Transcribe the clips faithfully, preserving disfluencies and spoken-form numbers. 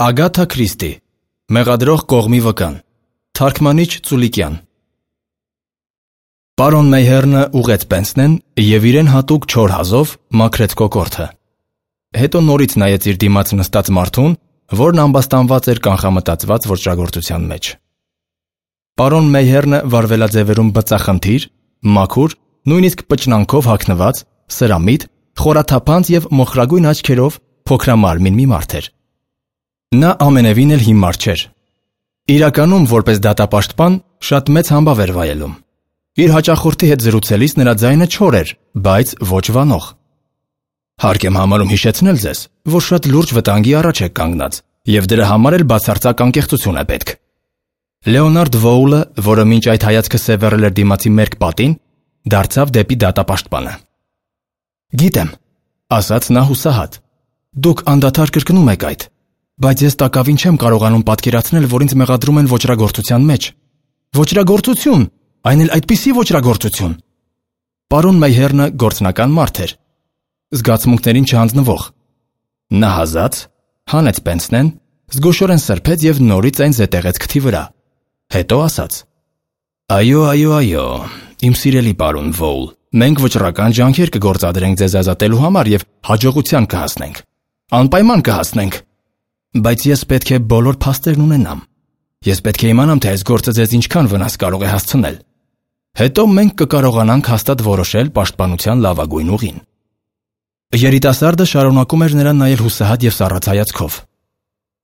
Ագաթա Քրիստի, Մեղադրող կողմի վկան, Թարգմանիչ Ծուլիկյան։ Պարոն Մեյհերնը ուղեց Պենսնեն և իրեն հատուկ չոր հազով մաքրեց կոկորդը։ Հետո նորից նայեց իր դիմաց նստած մարդուն, որն ամբաստանված էր կանխամտածված ոճրագործության մեջ։ Պարոն Մեյհերնը վարվելաձևերում բծախնդիր, մաքուր, նույնիսկ պճնանքով հագնված, սրամիտ, խորաթափանց և մոխրագույն աչքերով փոքրամարմին մի մարդ էր։ Նա ամենևին էլ հիմար չէր։ Իրականում, որպես դատապաշտպան, շատ մեծ համբավ էր վայելում։ Իր հաճախորդի հետ զրուցելիս նրա ձայնը չոր էր, բայց ոչ վանող։ Հարկ եմ համարում հիշեցնել ձեզ, որ շատ լուրջ վտանգի առաջ եք կանգնած, և դրա համար էլ բացարձակ անկեղծություն է պետք։ Լեոնարդ Վոուլը, որը մինչ այդ հայացքը սևեռել էր դիմացի մերկ պատին, դարձավ դեպի դատապաշտպանը։ Գիտեմ, ասաց նա հուսահատ, դուք անդադար կրկնում եք այդ, բայց ես տակավին չեմ կարողանում պատկերացնել, որ ինձ մեղադրում են ոճրագործության մեջ։ Ոճրագործություն, այն էլ այդպիսի ոճրագործություն։ Պարոն Մեյհերնը գործնական մարդ էր, զգացմունքներին չհանձնվող։ Նա հազաց, հանեց Պենսնեն, զգուշորեն սրբեց և նորից այն զետեղեց քթի վրա։ Հետո ասաց. Այո, այո, այո, իմ սիրելի պարոն Վոուլ, մենք վճռական ջանքեր կգործադրենք ձեզ ազատելու համար և հաջողության կհասնենք։ Անպայման կհասնենք։ Բայց ես պետք է բոլոր փաստերն ունենամ։ Ես պետք է իմանամ, թե այս գործը ձեզ ինչքան վնաս կարող է հասցնել։ Հետո մենք կկարողանանք հաստատ որոշել պաշտպանության լավագույն ուղին։ Երիտասարդը շարունակում էր նրան նայել հուսահատ և սառած հայացքով։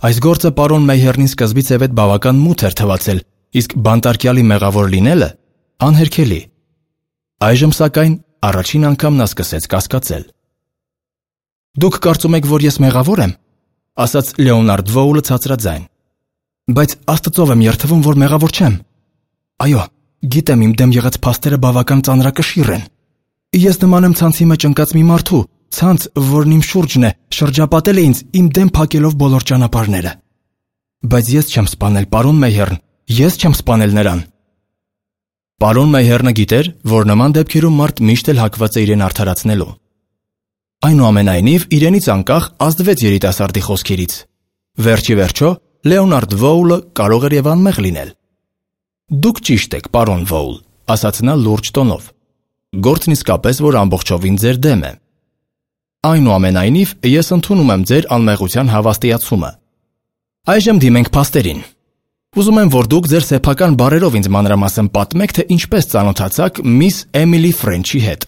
Այս գործը պարոն Մեյհերնին սկզբից է վետ բավական մութ էր թվացել, իսկ բանտարկյալի մեղավոր լինելը անհերքելի։ Այժմ սակայն առաջին անգամ նա սկսեց կասկածել։ Դուք կարծում եք, որ ես մեղավոր եմ, ասաց Լեոնարդ Վոուլը ցածրաձայն։ Բայց Աստծով եմ երդվում, որ մեղավոր չեմ։ Այո, գիտեմ, իմ դեմ եղած փաստերը բավական ծանրակշիռ են։ Ես նման եմ ցանցի մեջ ընկած մի մարդու, ցանց, որն իմ շուրջն է, շրջապատել է ինձ, իմ դեմ փակելով բոլոր ճանապարհները։ Բայց ես չեմ սպանել պարոն Մեյհերն, ես չեմ սպանել նրան։ Պարոն Մեյհերնը գիտեր, որ նման դեպքերում մարդ միշտ էլ հակված է իրեն արդարացնելու։ Այնուամենայնիվ, իրենից անկախ ազդվեց երիտասարդի խոսքերից։ Վերջի վերջո, Լեոնարդ Վոուլը կարող էր և անմեղ լինել։ Դուք ճիշտ եք, պարոն Վոուլ, ասաց նա լուրջ տոնով։ Գործն իսկապես, որ ամբողջովին ձեր դեմ է։ Այնուամենայնիվ, ես ընդունում եմ ձեր անմեղության հավաստիացումը։ Այժմ դիմենք փաստերին։ Ուզում եմ, որ դուք ձեր սեփական բառերով ինձ մանրամասն պատմեք, թե ինչպես ծանոթացաք միս Էմիլի Ֆրենչի հետ։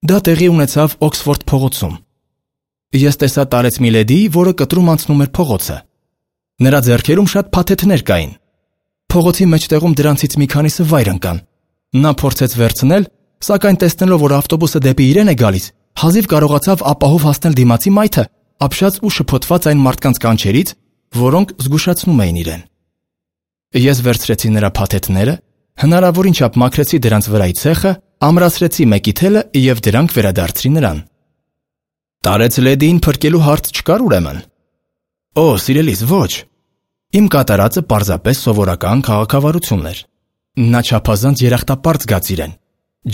Դա տեղի ունեցավ Օքսֆորդ փողոցում։ Ես տեսա տարեց մի լեդի, որը կտրում անցնում էր փողոցը։ Նրա ձեռքերում շատ փաթեթներ կային։ Փողոցի մեջտեղում դրանցից մի քանիսը վայր ընկան։ Նա փորձեց վերցնել, սակայն տեսնելով, որ ավտոբուսը դեպի իրեն է գալիս, հազիվ կարողացավ ապահով հասնել դիմացի մայթը, ապշած ու շփոթված այն մարդկանց կանչերից, որոնք զգուշացնում էին իրեն։ Ես վերցրեցի նրա փաթեթները, հնարավորին չափ մաքրեցի դրանց վրայի ցեխը, ամրացրեցի մեկի թելը և դրանք վերադարձրի նրան։ Տարեց լեդիին փրկելու հարց չկար ուրեմն։ Օ, սիրելիս, ոչ։ Իմ կատարածը պարզապես սովորական քաղաքավարություն էր։ Նա չափազանց երախտապարտ զգաց իրեն։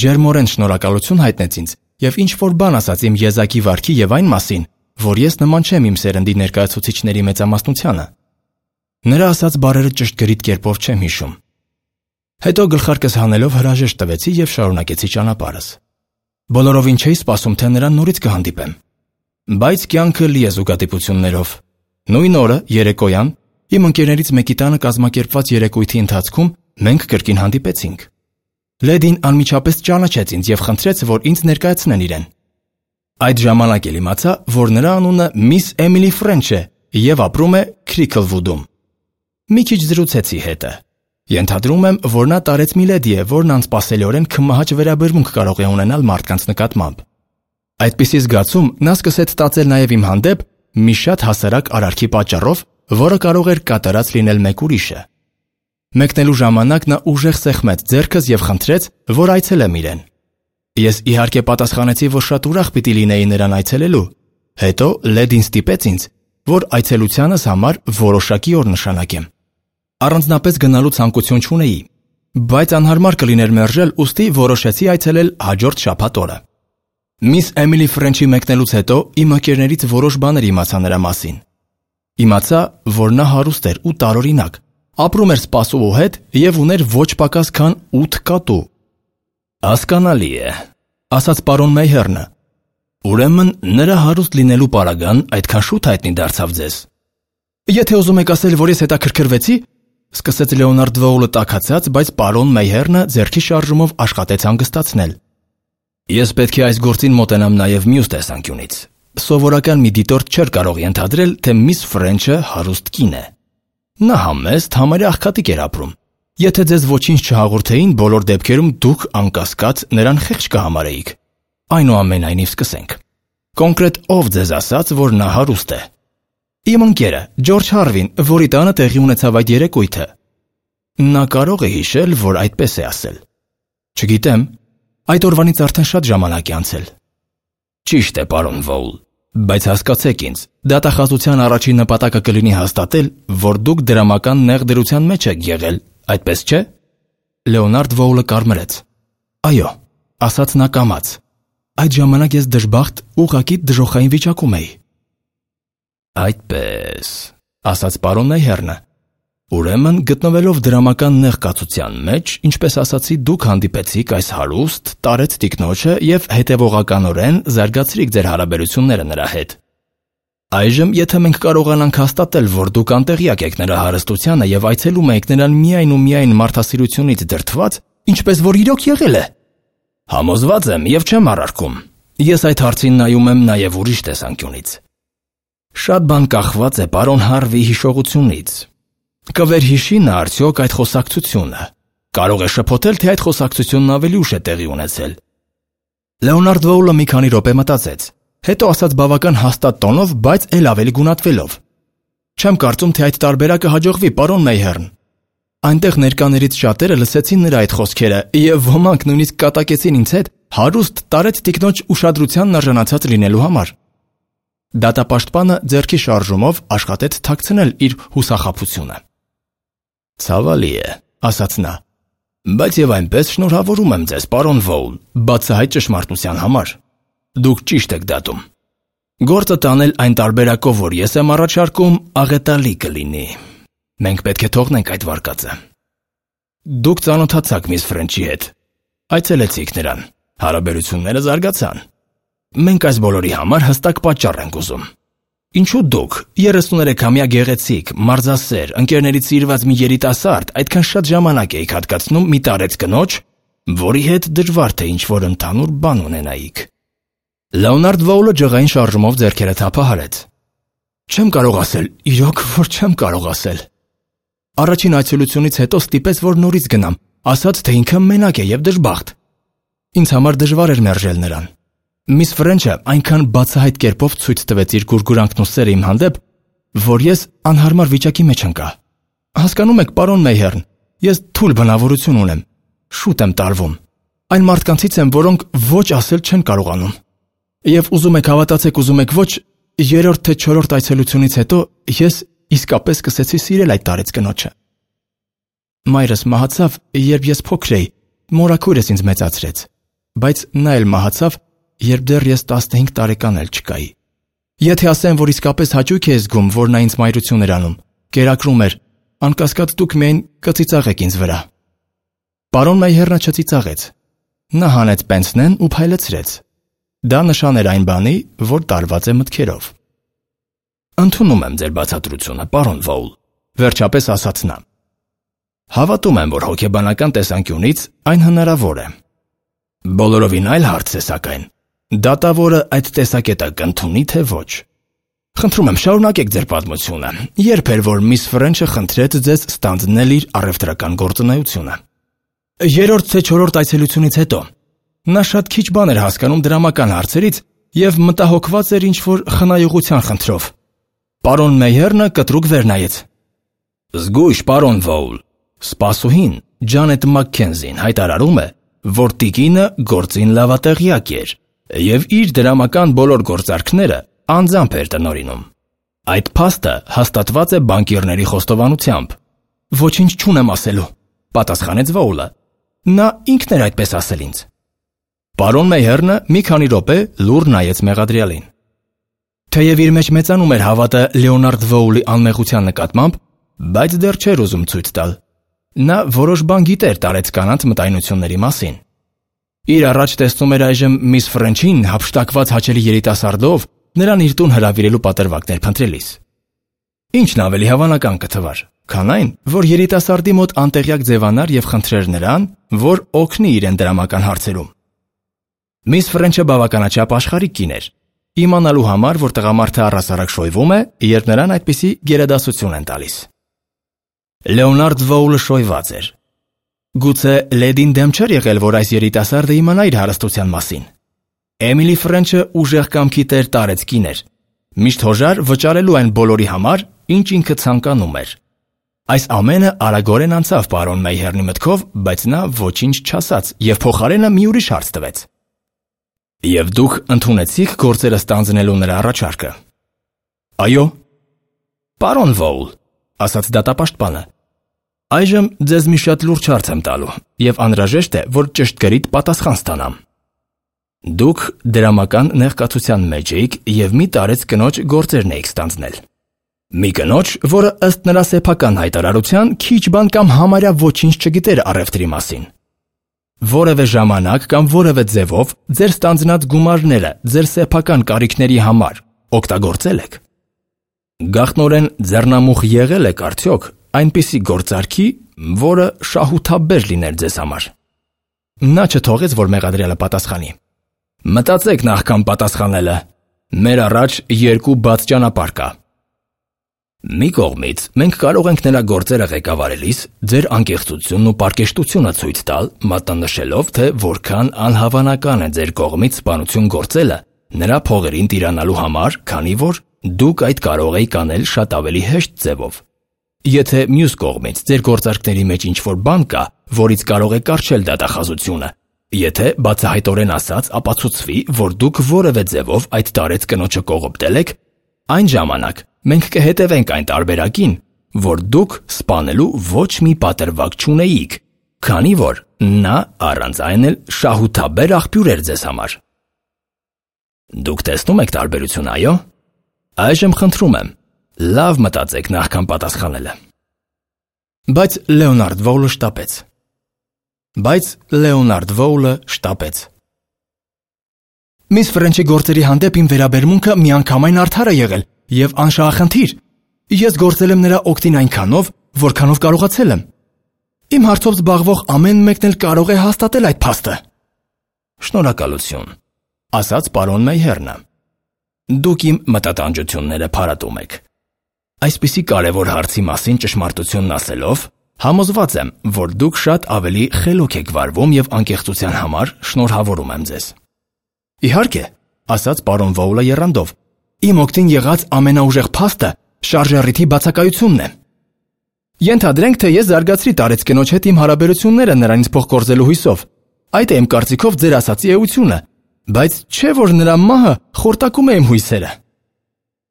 Ջերմորեն շնորհակալություն հայտնեց ինձ և ինչ-որ բան ասաց իմ եզակի վարքի և այն մասին, որ ես նման չեմ իմ սերնդի ներկայացուցիչների մեծամասնությանը։ Նրա ասած բառերը ճշգրիտ կերպով չեմ հիշում։ Հետո գլխարկս հանելով հրաժեշտ տվեցի և շարունակեցի ճանապարհս։ Բոլորովին չէի սպասում, թե նրան նորից կհանդիպեմ։ Բայց կյանքը լի է զուգադիպություններով։ Նույն օրը, երեկոյան, իմ ընկերներից մեկի տանը կազմակերպված երեկույթի ընթացքում մենք կրկին հանդիպեցինք։ Լեդին անմիջապես ճանաչեց ինձ և խնդրեց, որ ինձ ներկայացնեն իրեն։ Այդ ժամանակ էլ իմացա, որ նրա անունը միս Էմիլի Ֆրենչ է և ապրում է Քրիքլվուդում։ Մի քիչ զրուցեցի հետը։ Ենթադրում եմ, որ նա տարեց մի լեդի է, որն անսպասելիորեն քմահաճ վերաբերմունք կարող է ունենալ մարդկանց նկատմամբ։ Այդպիսի զգացում նա սկսեց ստացել նաև իմ հանդեպ մի շատ հասարակ արարքի պատճառով, որը կարող էր կատարած լինել մեկ ուրիշը։ Մեկնելու ժամանակ նա ուժեղ սեղմեց ձեռքս և խնդրեց, որ այցելեմ իրեն։ Ես իհարկե պատասխանեցի, որ շատ ուրախ պիտի լինեի նրան այցելելու։ Հետո լեդին ստիպեց ինձ, որ այցելությանս համար որոշակի օր նշանակեմ։ Առանձնապես գնալու ցանկություն չունեի, բայց անհարմար կլիներ մերժել, ուստի որոշեցի այցելել հաջորդ շաբաթ օրը։ Միս Էմիլի Ֆրենչի մեկնելուց հետո իմ ընկերներից որոշ բաներ իմացա նրա մասին։ Իմացա, որ նա հարուստ էր ու տարօրինակ, ապրում էր սպասողու հետ և ուներ ոչ պակաս քան ութ կատու։ Հասկանալի է, ասաց պարոն Մեյհերնը։ Ուրեմն նրա հարուստ լինելու պարագան այդքան շուտ հայտնի դարձավ ձեզ։ Եթե ուզում եք ասել, որ ես հետաքրքրվեցի, սկսեց Լեոնարդ Վոուլը տաքացած, բայց պարոն Մեյհերնը ձեռքի շարժումով աշխատեց հանգստացնել։ Ես պետք է այս գործին մոտենամ նաև մյուս տեսանկյունից։ Սովորական մի դիտորդ չէր կարող ենթադրել, թե միս Ֆրենչը հարուստ կին է։ Նա համեստ, համարյա աղքատիկ էր ապրում։ Եթե ձեզ ոչինչ չհաղորդեին, բոլոր դեպքերում դուք անկասկած նրան խեղճ կհամարեիք։ Այնուամենայնիվ սկսենք։ Կոնկրետ ով ձեզ ասաց, որ նա հարուստ է։ Իմ ընկերը, Ջորջ Հարվին, որի տանը տեղի ունեցավ այդ երեկույթը։ Նա կարող է հիշել, որ այդպես է ասել։ Չգիտեմ, այդ օրվանից արդեն շատ ժամանակ է անցել։ Ճիշտ է, պարոն Վոուլ, բայց հասկացեք ինձ, դատախազության առաջին նպատակը կլինի հաստատել, որ դուք դրամական նեղ դրության մեջ եք եղել, այդպես չէ։ Լեոնարդ Վոուլը կարմրեց։ Այո, ասաց նա կամաց։ Այդ ժամանակ ես դժբախտ, ուղղակի դժոխային վիճակում էի։ Այդպես, ասաց պարոն Մեյհերնը։ Ուրեմն, գտնվելով դրամական նեղ կացության մեջ, ինչպես ասացի, դուք հանդիպեցիք այս հարուստ, տարեց տիկնոջը և հետևողականորեն զարգացրիք ձեր հարաբերությունները նրա հետ։ Այժմ, եթե մենք կարողանանք հաստատել, որ դուք անտեղյակ եք նրա հարստությանը և այցելում եք նրան միայն ու միայն մարդասիրությունից դրդված, ինչպես որ իրոք եղել է։ Համոզված եմ և չեմ առարկում։ Ես այդ հարցին նայում եմ նաև ուրիշ տեսանկյունից։ Շատ բան կախված է պարոն Հարվի հիշողությունից։ Կվերհիշի նա արդյոք այդ խոսակցությունը։ Կարող է շփոթել, թե այդ խոսակցությունն ավելի ուշ է տեղի ունեցել։ Լեոնարդ Վոուլը մի քանի րոպե մտածեց, հետո ասաց բավական հաստատ տոնով, բայց էլ ավելի գունատվելով. Չեմ կարծում, թե այդ տարբերակը հաջողվի, պարոն Մեյհերն։ Այնտեղ ներկաներից շատերը լսեցին նրա այդ խոսքերը, և ոմանք նույնիսկ կատակեցին ինձ հետ հարուստ տարեց տիկնոջ ուշադրությանն արժանացած լինելու համար։ Դատապաշտպանը ձեռքի շարժումով աշխատեց թաքցնել իր հուսախաբությունը։ Ցավալի է, ասաց նա, բայց եւ այնպես շնորհավորում եմ ձեզ, պարոն Վոուլ, բացահայտ ճշմարտության համար։ Դուք ճիշտ եք դատում։ Գործը տանել այն տարբերակով, որ ես եմ առաջարկում, աղետալի կլինի։ Մենք պետք է թողնենք այդ վարկածը։ Դուք ծանոթացաք միս Ֆրենչի հետ։ Այցելեցիք նրան։ Հարաբերությունները զարգացան։ Մենք այս բոլորի համար հստակ պատճառ ենք ուզում։ Ինչու դուք, երեսուներեքամյա գեղեցիկ, մարզասեր, ընկերներից սիրված մի երիտասարդ, այդքան շատ ժամանակ էիք հատկացնում մի տարեց կնոջ, որի հետ դժվար թե ինչ-որ ընդհանուր բան ունենայիք։ Լեոնարդ Վոուլը ջղային շարժումով ձեռքերը թափահարեց։ Չեմ կարող ասել, իրոք, որ չեմ կարող ասել։ Առաջին այցելությունից հետո ստիպեց, որ նորից գնամ, ասաց, թե ինքը մենակ է և դժբախտ։ Ինձ համար դժվար էր մերժել նրան։ Միս Ֆրենչը այնքան բացահայտ կերպով ցույց տվեց իր գուրգուրանքն ու սերը իմ հանդեպ, որ ես անհարմար վիճակի մեջ ընկա։ Հասկանում եք, պարոն Մեյհերն, ես թույլ բնավորություն ունեմ, շուտ եմ տարվում։ Այն մարդկանցից եմ, որոնք ոչ ասել չեն կարողանում։ Եվ ուզում եք հավատացեք, ուզում եք ոչ, երրորդ թե չորրորդ այցելությունից հետո ես իսկապես սկսեցի սիրել այդ տարեց կնոջը։ Մայրս մահացավ, երբ ես փոքր էի, մորաքույրս ինձ մեծացրեց, բայց նա էլ մահացավ, երբ դեռ ես տասնհինգ տարեկան էլ չկայի։ Եթե ասեմ, որ իսկապես հաճույք է զգում, որ նա ինձ մայրություն էր անում, կերակրում էր, անկասկած դուք միայն կծիծաղեք ինձ վրա։ Պարոն Մեյհերնը չծիծաղեց։ Նա հանեց պենսնեն ու փայլեցրեց։ Դա նշան էր այն բանի, որ տարված է մտքերով։ Ընդունում եմ ձեր բացատրությունը, պարոն Վոուլ, վերջապես ասաց նա։ Հավատում եմ, որ հոգեբանական տեսանկյունից այն հնարավոր է։ Բոլորովին այլ հարց է, սակայն, դատավորը այդ տեսակետը կընդունի, թե ոչ։ Խնդրում եմ, շարունակեք ձեր պատմությունը, երբ էր, որ միս Ֆրենչը խնդրեց ձեզ ստանձնել իր առևտրական գործունեությունը։ Երրորդ թե չորրորդ այցելությունից հետո նա շատ քիչ բան էր հասկանում դրամական հարցերից և մտահոգված էր ինչ-որ խնայողության խնդրով։ Պարոն Մեյհերնը կտրուկ վերնայեց։ Զգույշ, պարոն Վոուլ, սպասուհին Ջանետ Մաքքենզին հայտարարում է, որ տիկինը գործին լավատեղյակ էր և իր դրամական բոլոր գործարքները անձամբ էր տնօրինում։ Այդ փաստը հաստատված է բանկիրների խոստովանությամբ։ Ոչինչ չունեմ ասելու, պատասխանեց Վոուլը։ Նա ինքն էր այդպես ասել ինձ։ Պարոն Մեյհերնը մի քանի րոպե լուռ նայեց մեղադրյալին։ Թեև իր մեջ մեծանում էր հավատը Լեոնարդ Վոուլի անմեղության նկատմամբ, բայց դեռ չէր ուզում ցույց տալ։ Նա որոշ բան գիտեր տարեց կանանց մտայնությունների մասին։ Իր առաջ տեսնում էր այժմ միս Ֆրենչին հափշտակված հաճելի երիտասարդով նրան իր տուն հրավիրելու պատրվակներ փնտրելիս։ Ինչն ավելի հավանական կթվար, քան այն, որ երիտասարդի մոտ անտեղյակ ձևանար եւ խնդրեր նրան, որ օգնի իրեն դրամական հարցերում։ Միս Ֆրենչը բավականաչափ աշխարհիկ կին էր, իմանալու համար, որ տղամարդը առհասարակ շոյվում է, երբ նրան այդպիսի գերադասություն են տալիս։ Լեոնարդ Վոուլը շոյված էր։ Գուցե լեդին դեմ չէր եղել, որ այս երիտասարդը իմանա իր հարստության մասին։ Էմիլի Ֆրենչը ուժեղ կամքի տեր տարեց կին էր, միշտ հոժար վճարելու այն բոլորի համար, ինչ ինքը ցանկանում էր։ Այս ամենը արագորեն անցավ պարոն Մեյհերնի մտքով, բայց նա ոչինչ չասաց եւ փոխարենը մի ուրիշ հարց տվեց։ Եվ դուք ընդունեցիք գործերը ստանձնելու նրա առաջարկը։ Այո։ Պարոն Վոուլ, ասաց դատապաշտպանը, այժմ ձեզ մի շատ լուրջ հարց եմ տալու եւ անհրաժեշտ է, որ ճշտկրիտ պատասխան ստանամ։ Դուք դրամական նեղկացության մեջ էիք եւ մի տարեց կնոջ գործերն էիք ստանձնել։ Մի կնոջ, որը ըստ նրա սեփական հայտարարության քիչ բան կամ համարյա ոչինչ չգիտեր առևտրի մասին։ Որևէ ժամանակ կամ որևէ ձևով ձեր ստանձնած գումարները ձեր սեփական կարիքների համար օգտագործել եք։ Գաղտնորեն ձեռնամուխ եղել եք արդյոք այնպիսի գործարքի, որը շահութաբեր լիներ ձեզ համար։ Նա չթողեց, որ մեղադրյալը պատասխանի։ Մտածեք նախքան պատասխանելը։ Մեր առաջ երկու բաց ճանապարհ կա։ Մի կողմից մենք կարող ենք նրա գործերը ղեկավարելիս ձեր անկեղծությունն ու պարկեշտությունը ցույց տալ, մատնանշելով, թե որքան անհավանական է ձեր կողմից սպանություն գործելը նրա փողերին տիրանալու համար, քանի որ դուք այդ կարող եք անել շատ ավելի հեշտ ձևով։ Եթե մյուս կողմից ձեր գործարքների մեջ ինչ-որ բան կա, որից կարող է կառչել դատախազությունը, եթե բացահայտորեն ասած ապացուցվի, որ դուք որևէ ձևով այդ տարեց կնոջը կողոպտել եք, այն ժամանակ մենք կհետևենք այն տարբերակին, որ դուք սպանելու ոչ մի պատրվակ չունեիք, քանի որ նա առանց այն էլ շահութաբեր աղբյուր էր ձեզ համար։ Դուք տեսնում եք տարբերություն, այո։ Այժմ խնդրում եմ, լավ մտածեք նախքան պատասխանելը։ Բայց Լեոնարդ Վոուլը շտապեց։ Բայց Լեոնարդ Վոուլը շտապեց։ Միս Ֆրենչի գործերի հանդեպ իմ վերաբերմունքը միանգամայն արդար է եղել եւ անշահախնդիր։ Ես գործել եմ նրա օգտին այնքանով, որքանով կարողացել եմ։ Իմ հարցով զբաղվող ամեն մեկն էլ կարող է հաստատել այդ փաստը։ Շնորհակալություն, ասաց պարոն Մեյհերնը։ Դուք իմ մտատանջությունները փարատում եք։ Այսպիսի կարևոր հարցի մասին ճշմարտությունն ասելով, համոզված եմ, որ դուք շատ ավելի խելոք եք վարվում եւ անկեղծության համար շնորհավորում եմ ձեզ։ Իհարկե, ասաց պարոն Վոուլը եռանդով, իմ օգտին եղած ամենաուժեղ փաստը շարժառիթի բացակայությունն է։ Ենթադրենք, թե ես զարգացրի տարեց կնոջ հետ իմ հարաբերությունները նրանից փոխկորզելու հույսով։ Այդ է իմ կարծիքով ձեր ասացի էությունը, բայց չէ որ նրա մահը խորտակում է իմ հույսերը։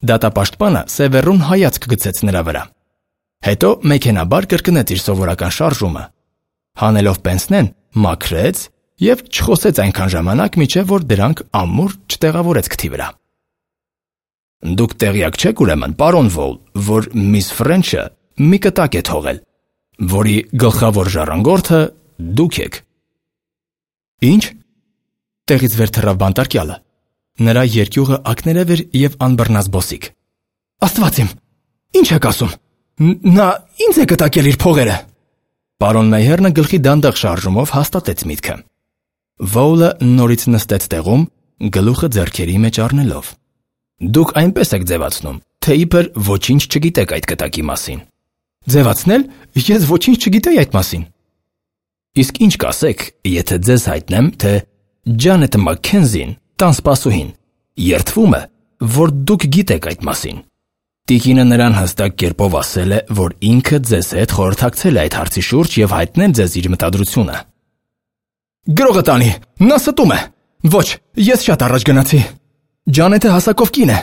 Դատապաշտպանը սևեռուն հայացք գցեց նրա վրա։ Հետո մեքենաբար կրկնեց իր սովորական շարժումը։ Հանելով պենսնեն, մաքրեց եւ չխոսեց այնքան ժամանակ, մինչեւ որ դրանք ամուր չտեղավորեց քթի վրա։ Դուք տեղյակ չեք ուրեմն, պարոն Վոուլ, որ միս Ֆրենչը մի կտակ է թողել, որի գլխավոր ժառանգորդը դուք եք։ Ինչ։ Տեղից վեր թռավ բանտարկյալը։ Նրա երկյուղը ակներև էր եւ անբռնած բոսիկ։ Աստված իմ, ինչ եք ասում։ Նա ինձ է կտակել իր փողերը։ Պարոն Մեյհերնը գլխի դանդաղ շարժումով հաստատեց միտքը։ Վոուլը նորից նստեց տեղում, գլուխը ձեռքերի մեջ առնելով։ Դուք այնպես եք ձևացնում, թե իբր ոչինչ չգիտեք այդ կտակի մասին։ Ձևացնել, ես ոչինչ չգիտեի այդ մասին։ Իսկ ինչ կասեք, եթե ձեզ հայտնեմ, թե Ջանետ Մաքքենզին, տան սպասուհին, երդվում է, որ դուք գիտեք այդ մասին։ Տիկինը նրան հստակ կերպով ասել է, որ ինքը ձեզ հետ խորհրդակցել է այդ հարցի շուրջ եւ հայտնել ձեզ իր մտադրությունը։ Գրողը տանի, նա ստում է։ Ոչ, ես շատ առաջ գնացի։ Ջանետը հասակով կին է։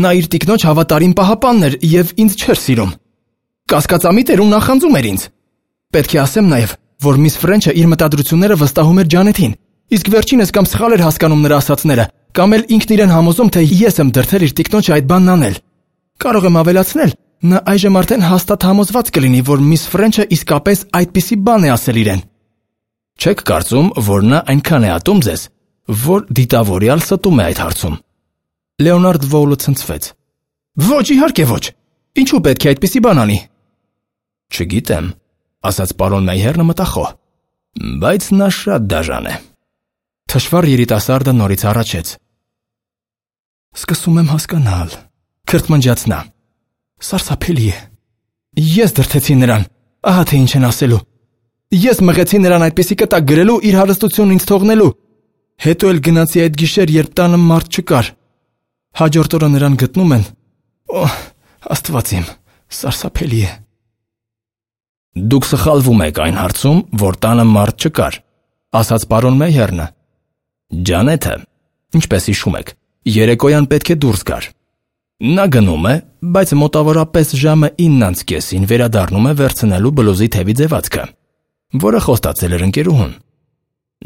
Նա իր տիկնոջ հավատարիմ պահապանն էր եւ ինձ չէր սիրում։ Կասկածամիտ էր ու նախանձում էր ինձ։ Պետք է ասեմ նաեւ, որ միս Ֆրենչը իր մտադրությունները վստահում էր Ջանետին, իսկ վերջինս կամ սխալ էր հասկանում նրա ասածները, կամ էլ ինքն իրեն համոզում, թե ես եմ դրդել իր տիկնոջը այդ բանն անել։ Կարող եմ ավելացնել, նա այժմ արդեն հաստատ համոզված կլինի, որ միս Ֆրենչը իսկապես այդպիսի բան է ասել իրեն։ Չեք կարծում, որ նա այնքան է ատում ձեզ, որ դիտավորյալ ստում է այդ հարցում։ Լեոնարդ Վոուլը ցնցվեց։ Ոչ, իհարկե ոչ։ Ինչու պետք է այդպիսի բան անի։ Չգիտեմ, ասաց պարոն Մեյհերնը մտախոհ, բայց նա շատ դաժան է։ Թշվառ երիտասարդը նորից առաջեց։ Սկսում եմ հասկանալ, քրթմնջաց նա։ Սարսափելի է։ Ես դրդեցի նրան, ահա թե ինչ են ասելու։ Ես մղեցի նրան այդպիսի կտակ գրելու իր հարստությունն ինձ թողնելու։ Հետո էլ գնացի այդ գիշեր, երբ տանը մարդ չկար։ Հաջորդ օրը նրան գտնում են։ Օ, Աստված իմ, սարսափելի է։ Դուք սխալվում եք այն հարցում, որ տանը մարդ չկար, ասաց պարոն Մեյհերնը։ Ջանեթը, ինչպես հիշում եք, երեկոյան պետք է դուրս գար։ Նա գնում է, բայց մոտավորապես ժամը իննից կեսին վերադառնում է վերցնելու բլուզի թևի ձևացքը, որը խոստացել էր ընկերուհուն։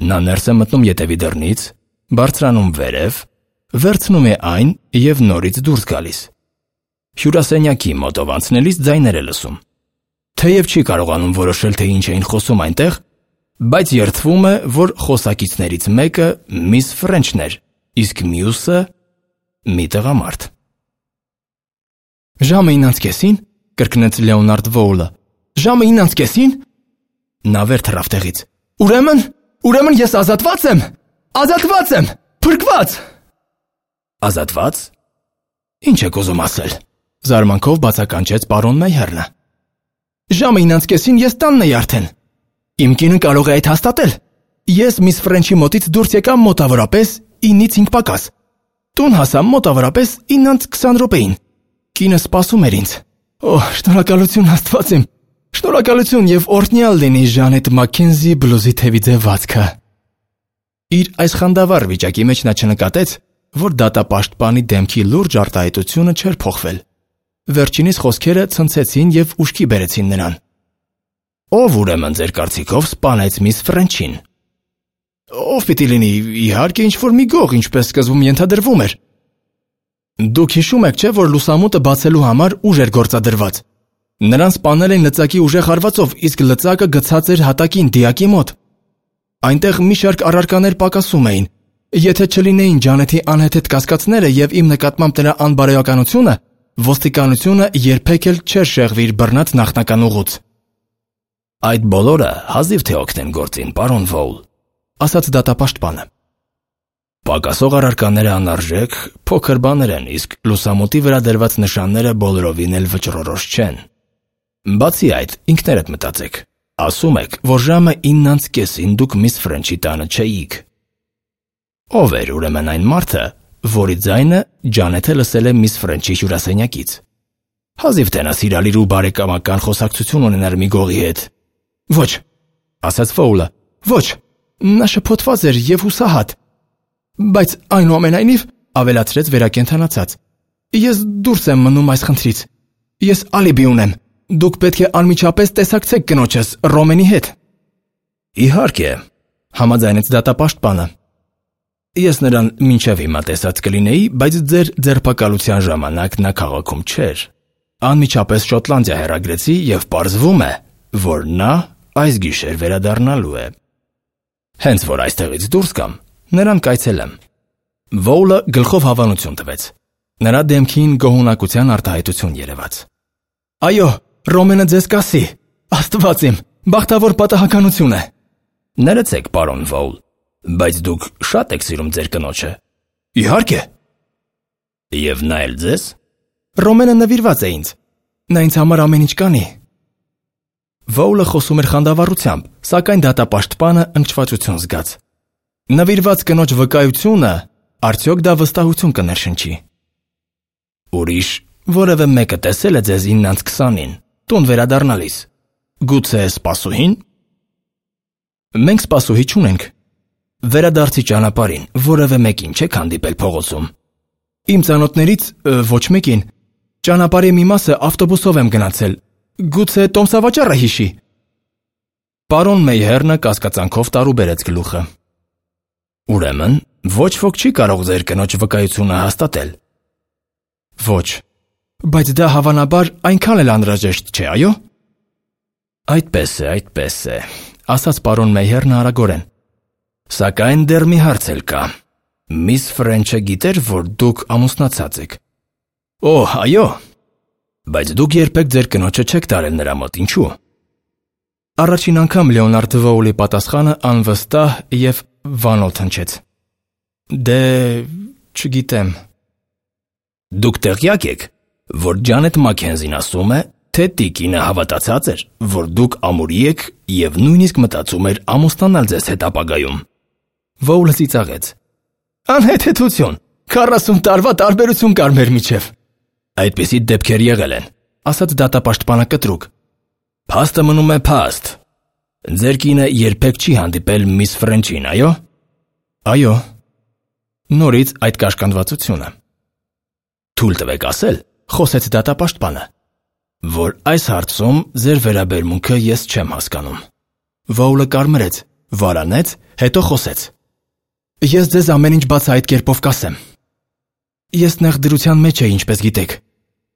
Նա ներս է մտնում ետևի դռնից, բարձրանում վերև, վերցնում է այն և նորից դուրս գալիս։ Հյուրասենյակի մոտով անցնելիս ձայներ է լսում։ Թեև չի կարողանում որոշել, թե ինչ էին խոսում այնտեղ, բայց երդվում է, որ խոսակիցներից մեկը միս Ֆրենչն էր, իսկ մյուսը մի տղամարդ։ Ժամը իննից կեսին, կրկնեց Լեոնարդ Վոուլը։ Ժամը իննից կեսին։ Նա վեր թռավ տեղից։ Ուրեմն, ուրեմն ես ազատված եմ։ Ազատված եմ, փրկված։ Ազատված։ Ինչ եք ուզում ասել։ Զարմանքով բացականչեց պարոն Մեյհերնը։ Ժամը իննից կեսին ես տանն էի արդեն։ Իմ կինը կարող է այդ հաստատել։ Ես միս Ֆրենչի մոտից դուրս եկամ մոտավորապես իննից հինգ պակաս։ Տուն հասա մոտավորապես իննից քսան րոպեին։ Կինը սպասում էր ինձ։ Օ, շնորհակալություն Աստված իմ։ Շնորհակալություն եւ օրհնյալ լինի Ժանետ Մաքքենզի բլուզի թևի ձևացքը։ Իր այս խանդավառ վիճակի մեջ նա չնկատեց, որ դատապաշտպանի դեմքի լուրջ արտահայտությունը չէր փոխվել։ Վերջինիս խոսքերը ցնցեցին եւ ուշքի բերեցին նրան։ Ով ուրեմն ձեր կարծիքով սպանեց միս Ֆրենչին։ Ով պիտի լինի, իհարկե ինչ-որ մի գող, ինչպես սկզբում ենթադրվում էր։ Դուք հիշում եք, չէ՞, որ լուսամուտը բացելու համար ուժ էր գործադրված։ Նրան սպանել են լծակի ուժեղ հարվածով, իսկ լծակը գցած էր հատակին դիակի մոտ։ Այնտեղ մի շարք առարկաներ պակասում էին։ Եթե չլինեին Ջանեթի անհեթեթ կասկածները եւ իմ նկատմամբ նրա անբարոյականությունը, ոստիկանությունը երբեք էլ չէր շեղվի իր բռնած նախնական ուղուց։ Այդ բոլորը հազիվ թե օգնեն գործին, պարոն Վոուլ, ասաց դատապաշտպանը։ Պակասող առարկաները անարժեք, փոքր բաներ են, իսկ լուսամուտի վրա դրված նշանները բոլորովին էլ վճռորոշ չեն։ Բացի այդ, ինքներդ մտածեք, ասում եք, որ ժամը իննից կեսին դուք միս Ֆրենչի տանը չէիք։ Ով էր ուրեմն այն մարդը, որի ձայնը Ջանեթը լսել է միս Ֆրենչի հյուրասենյակից։ Հազիվ թե նա սիրալիր ու բարեկամական խոսակցություն ունենար մի գողի հետ։ Ոչ, ասաց Վոուլը, ոչ, նա շփոթված էր եւ հուսահատ։ Բայց այնուամենայնիվ, ավելացրեց վերակենդանացած, ես դուրս եմ մնում այս խնդրից։ Ես ալիբի ունեմ։ Դուք պետք է անմիջապես տեսակցեք կնոջս Ռոմենի հետ։ Իհարկե, համաձայնեց դատապաշտպանը։ Ես նրան մինչև հիմա տեսած կլինեի, բայց ձեր ձերբակալության ժամանակ նա քաղաքում չէր։ Անմիջապես Շոտլանդիա հեռագրեցի եւ պարզվում է, որ նա այս գիշեր վերադառնալու է։ Հենց որ այստեղից դուրս կամ, նրան կայցելեմ։ Վոուլը գլխով հավանություն տվեց։ Նրա դեմքին գոհունակության արտահայտություն երևաց։ Այո, Ռոմենը ձեզ կասի։ Աստված իմ, բախտավոր պատահականություն է։ Ներեցեք, պարոն Վոուլ, բայց դուք շատ եք սիրում ձեր կնոջը։ Իհարկե։ Եվ նա էլ ձեզ։ Ռոմենը նվիրված է ինձ։ Նա ինձ համար ամեն ինչ կանի։ Վոուլը խոսում էր խանդավառությամբ, սակայն դատապաշտպանը ընկճվածություն զգաց։ Նվիրված կնոջ վկայությունը արդյոք դա վստահություն կներշնչի։ Ուրիշ որևէ մեկը տեսել է ձեզ իննից քսանին, տուն վերադառնալիս։ Գուցե սպասուհին։ Մենք սպասուհի չունենք։ Վերադարձի ճանապարհին որևէ մեկին չեք հանդիպել փողոցում։ Իմ ծանոթներից ոչ մեկին։ Ճանապարհի մի մասը ավտոբուսով եմ գնացել։ Գուցե տոմսավաճառը հիշի։ Պարոն Մեյհերնը կասկածանքով տարուբերեց գլուխը։ Ուրեմն, ոչ ոք չի կարող ձեր կնոջ վկայությունը հաստատել։ Ոչ, բայց դա հավանաբար այնքան էլ անհրաժեշտ չէ, այո։ Այդպես է, այդպես է, ասաց պարոն Մեյհերնը արագորեն։ Սակայն դեռ մի հարց էլ կա։ Միս Ֆրենչը գիտեր, որ դուք ամուսնացած եք։ Օ, այո։ Բայց դուք երբեք ձեր կնոջը չեք տարել նրա մոտ, ինչու՞։ Առաջին անգամ Լեոնարդ Վոուլի պատասխանը անվստահ և վանոթ հնչեց։ Դե, չգիտեմ։ Դուք տեղյակ եք, որ Ջանետ Մաքքենզին ասում է, թե տիկինը հավատացած էր, որ դուք ամուրի եք և նույնիսկ մտածում էր ամուսնանալ ձեզ հետ ապագայում։ Վոուլը ծիծաղեց։ Անհեթեթություն, քառասուն տարվա տարբերություն կար մեր միջև։ Այդպիսի դեպքեր եղել են, ասաց դատապաշտպանը կտրուկ։ Փաստը մնում է փաստ։ Ձեր կինը երբեք չի հանդիպել միս Ֆրենչին, այո։ Այո։ Նորից այդ կաշկանդվածությունը։ Թույլ տվեք ասել, խոսեց դատապաշտպանը, որ այս հարցում ձեր վերաբերմունքը ես չեմ հասկանում։ Վոուլը կարմրեց, վարանեց, հետո խոսեց։ Ես ձեզ ամեն ինչ բաց այդ կերպով կասեմ։ Ես նեղ դրության մեջ էի, ինչպես գիտեք։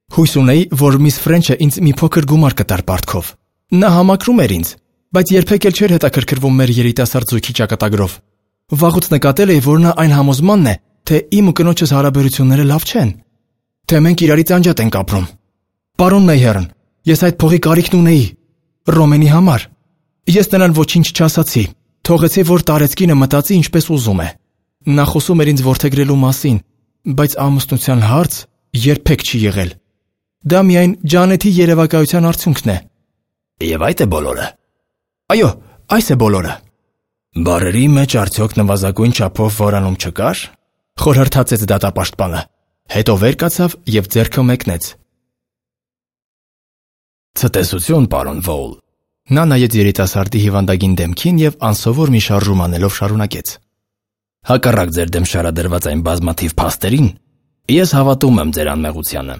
Հույս ունեի, որ միս Ֆրենչը ինձ մի փոքր գումար կտար պարտքով։ Նա համակրում էր ինձ, բայց երբեք էլ չէր հետաքրքրվում մեր երիտասարդ զույգի ճակատագրով։ Վաղուց նկատել էի, որ նա այն համոզմանն է, թե իմ ու կնոջս հարաբերությունները լավ չեն, թե մենք իրարից անջատ ենք ապրում։ Պարոն Մեյհերն, ես այդ փողի կարիքն ունեի Ռոմենի համար։ Ես նրան ոչինչ չասացի, թողեցի, որ տարեցկինը մտածի ինչպես ուզում է։ Նա խոսում էր ինձ որդեգրելու մասին, բայց ամուսնության հարց երբեք չի եղել։ Դա միայն Ջանետի երևակայության արդյունքն է։ Եվ այդ է բոլորը։ Այո, այս է բոլորը։ Բառերի մեջ արդյոք նվազագույն չափով որանում չկար։ Խորհրդացեց դատապաշտպանը, հետո վեր կացավ և ձեռքը մեկնեց։ Ցտեսություն, պարոն Վոուլ։ Նա նայեց երիտասարդի հիվանդագին դեմքին և անսովոր մի շարժում անելով շարունակեց։ Հակառակ ձեր դեմ շարադրված այն բազմաթիվ փաստերին, ես հավատում եմ ձեր անմեղությանը։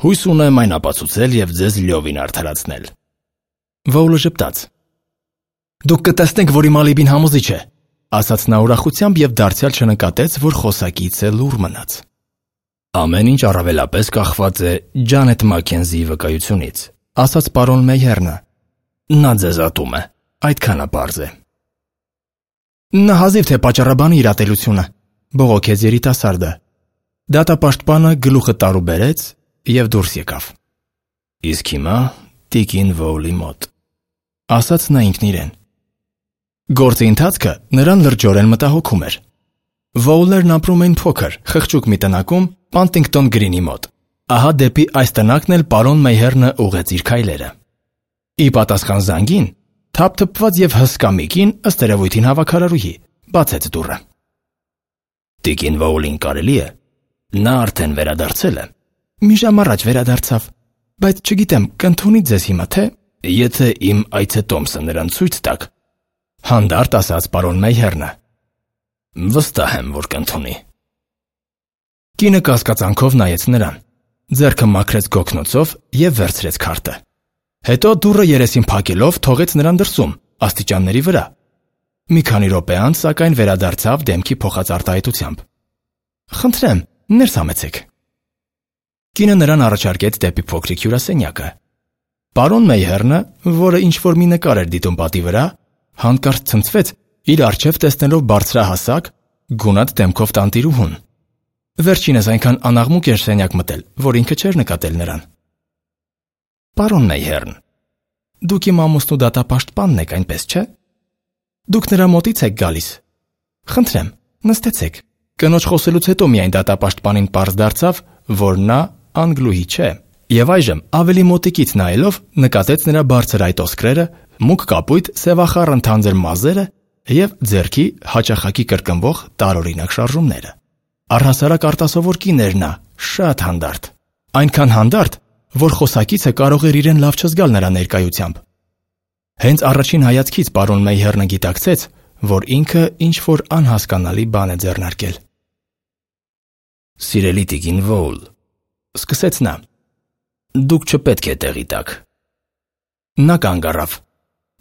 Հույս ունեմ այն ապացուցել և ձեզ լիովին արդարացնել։ Վոուլը ժպտաց։ Դուք կտեսնեք, որ իմ ալիբին համոզիչ է, ասաց նա ուրախությամբ և դարձյալ չնկատեց, որ խոսակիցը լուռ մնաց։ Ամեն ինչ առավելապես կախված է Ջանետ Մաքքենզիի վկայությունից, ասաց պարոն Մեյհերնը։ Նա ձեզ ատում է, այդքանը պարզ է։ Նա հազիվ թե պատճառաբանի իր ատելությունը, բողոքեց երիտասարդը։ Դատապաշտպանը գլուխը տարուբերեց և դուրս եկավ։ Իսկ հիմա տիկին Վոուլի մոտ, ասաց նա ինքն իրեն։ Գործի ընթացքը նրան լրջորեն մտահոգում էր։ Վոուլներն ապրում էին փոքր, խղճուկ մի տնակում Պանտինգտոն Գրինի մոտ։ Ահա դեպի այս տնակն էլ պարոն Մեյհերնը ուղղեց իր քայլերը։ Ի պատասխան զանգին, թափթփված և հսկա մի կին, ըստ երևույթին հավաքարարուհի, բացեց դուռը։ Տիկին Վոուլին կարելի է։ Նա արդեն վերադարձել է։ Մի ժամ առաջ վերադարձավ, բայց չգիտեմ, կընդունի ձեզ հիմա, թե… Եթե իմ այցետոմսը նրան ցույց տաք, հանդարտ ասաց պարոն Մեյհերնը։ Վստահ եմ, որ կընդունի։ Կինը կասկածանքով նայեց նրան, ձեռքը մաքրեց գոգնոցով և վերցրեց քարտը։ Հետո դուռը երեսին փակելով թողեց նրան դրսում, աստիճանների վրա։ Մի քանի րոպե անց, սակայն վերադարձավ դեմքի փոխած արտահայտությամբ։ Խնդրեմ, ներս համեցեք։ Կինը նրան առաջարկեց դեպի փոքրիկ հյուրասենյակը։ Պարոն Մեյհերնը, որը ինչ-որ մի նկար էր դիտում պատի վրա, հանկարծ ցնցվեց, իր առջև տեսնելով բարձրահասակ, գունատ դեմքով տանտիրուհուն։ Վերջինս այնքան անաղմուկ էր սենյակ մտել, որ ինքը չէր նկատել նրան։ Պարոն Մեյհերն, դուք իմ ամուսնու դատապաշտպանն եք, այնպես չէ՞։ Դուք նրա մոտից եք գալիս։ Խնդրեմ, նստեցեք։ Կնոջ խոսելուց հետո միայն դատապաշտպանին պարզ դարձավ, որ նա անգլուհի չէ, և այժմ ավելի մոտիկից նայելով նկատեց նրա բարձր այտոսկրերը, մուգ կապույտ սևախառն թանձր մազերը և ձեռքի հաճախակի կրկնվող տարօրինակ շարժումները։ Առհասարակ արտասովոր կին էր նա, շատ հանդարտ։ Այնքան հանդարտ, որ խոսակիցը կարող էր իրեն լավ չզգալ նրա ներկայությամբ։ Հենց առաջին հայացքից պարոն Մեյհերնը գիտակցեց, որ ինքը ինչ-որ անհասկանալի բան է ձեռնարկել։ Սիրելի տիկին Վոուլ, սկսեց նա, դուք չպետք է տեղի տաք։ Նա կանգ առավ։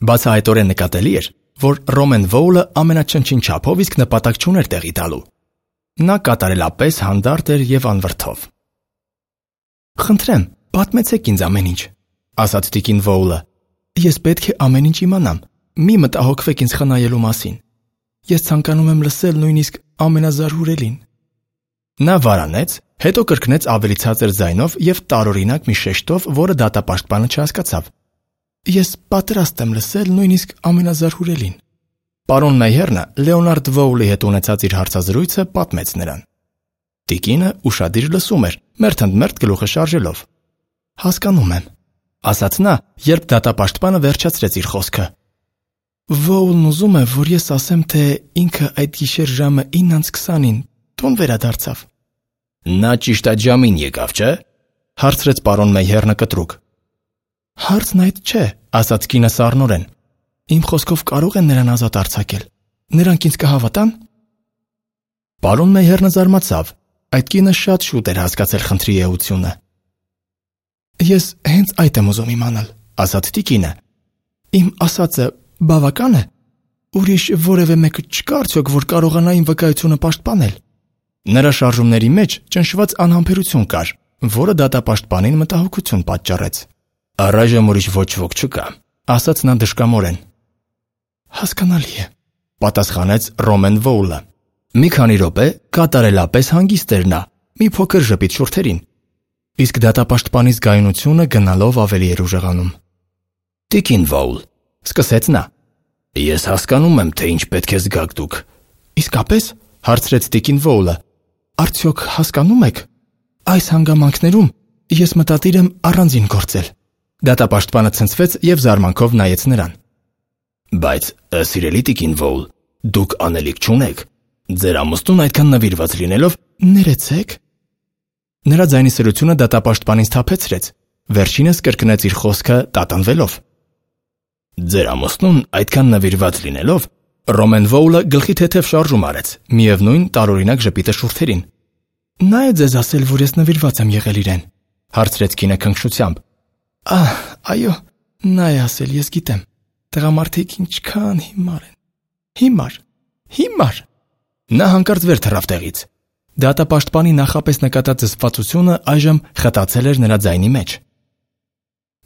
Բացահայտորեն նկատելի էր, որ Ռոմեն Վոուլը ամենաչնչին չափով իսկ նպատակ չուներ տեղի տալու։ Նա կատարելապես հանդարտ էր եւ անվրդով։ «Խնդրեմ, պատմեցեք ինձ ամեն ինչ», ասաց տիկին Վոուլը։ «Ես պետք է ամեն ինչ իմանամ։ Մի մտահոգվեք ինձ խնայելու մասին։ Ես ցանկանում եմ լսել նույնիսկ ամենազարհուրելին»։ Նա վարանեց, հետո կրկնեց ավելի ցածր ձայնով եւ տարօրինակ մի շեշտով, որը դատապաշտպանը չհասկացավ։ «Ես պատրաստ եմ լսել նույնիսկ ամենազարհուրելին»։ Պարոն Մեյհերնը Լեոնարդ Վոուլի հետ ունեցած իր հարցազրույցը պատմեց նրան։ Տիկինը ուշադիր լսում էր, մերթընդմերթ գլուխը շարժելով։ «Հասկանում եմ», ասաց նա, երբ դատապաշտպանը վերջացրեց իր խոսքը։ «Վոուլն ուզում է, որ ես ասեմ, թե ինքը այդ գիշեր ժամը ինը քսանին տուն վերադարձավ»։ Նա ճիշտ այդ ժամին եկավ, չէ՞, հարցրեց պարոն Մեյհերնը կտրուկ։ Հարցն այդ չէ, ասաց կինը սառնորեն։ Իմ խոսքով կարող են նրան ազատ արձակել։ Նրանք ինձ կհավատան։ Պարոն Մեյհերնը զարմացավ։ Այդ կինը շատ շուտ էր հասկացել խնդրի էությունը։ Ես հենց այդ եմ ուզում իմանալ, ասաց տիկինը։ Իմ ասածը բավական է։ Ուրիշ որևէ մեկը չկա արդյոք, որ կարողանա իմ վկայությունը պաշտպանել։ Նրա շարժումների մեջ ճնշված անհամբերություն կար, որը դատապաշտպանին մտահոգություն պատճառեց։ Առայժմ ուրիշ ոչ ոք չկա, ասաց նա դժկամորեն։ Հասկանալի է, պատասխանեց Ռոմեն Վոուլը։ Մի քանի րոպե կատարելապես հանգիստ էր նա, մի փոքր ժպիտ շուրթերին, իսկ դատապաշտպանի զգայունությունը գնալով ավելի էր ուժեղանում։ Տիկին Վոուլ, սկսեց նա, ես հասկանում եմ, թե ինչ պետք է զգաք դուք։ Իսկապես, հարցրեց տիկին Վոուլը, արդյոք հասկանում եք, այս հանգամանքներում ես մտադիր եմ առանձին գործել։ Դատապաշտպանը ցնցվեց եւ զարմանքով նայեց նրան։ Բայց, սիրելի տիկին Վոուլ, դուք անելիք չունեք։ Ձեր ամուսնուն այդքան նվիրված լինելով, ներեցեք։ Նրա ձայնի սրությունը դատապաշտպանին սթափեցրեց, վերջինս կրկնեց իր խոսքը տատանվելով։ Ձեր ամուսնուն այդքան նվիրված լինելով, Ռոմեն Վոուլը գլխի թեթև շարժում արեց, միևնույն տարօրինակ ժպիտը շուրթերին։ Նա է ձեզ ասել, որ ես նվիրված եմ եղել իրեն, հարցրեց կինը քնքշությամբ։ Ահ, այո, նա է ասել, ես գիտեմ։ Տղամարդիկ ինչքան հիմար են։ Հիմար, հիմար։ Նա հանկարծ վեր թռավ տեղից։ Դատապաշտպանի նախապես նկատած զսպվածությունը այժմ խտացել էր նրա ձայնի մեջ։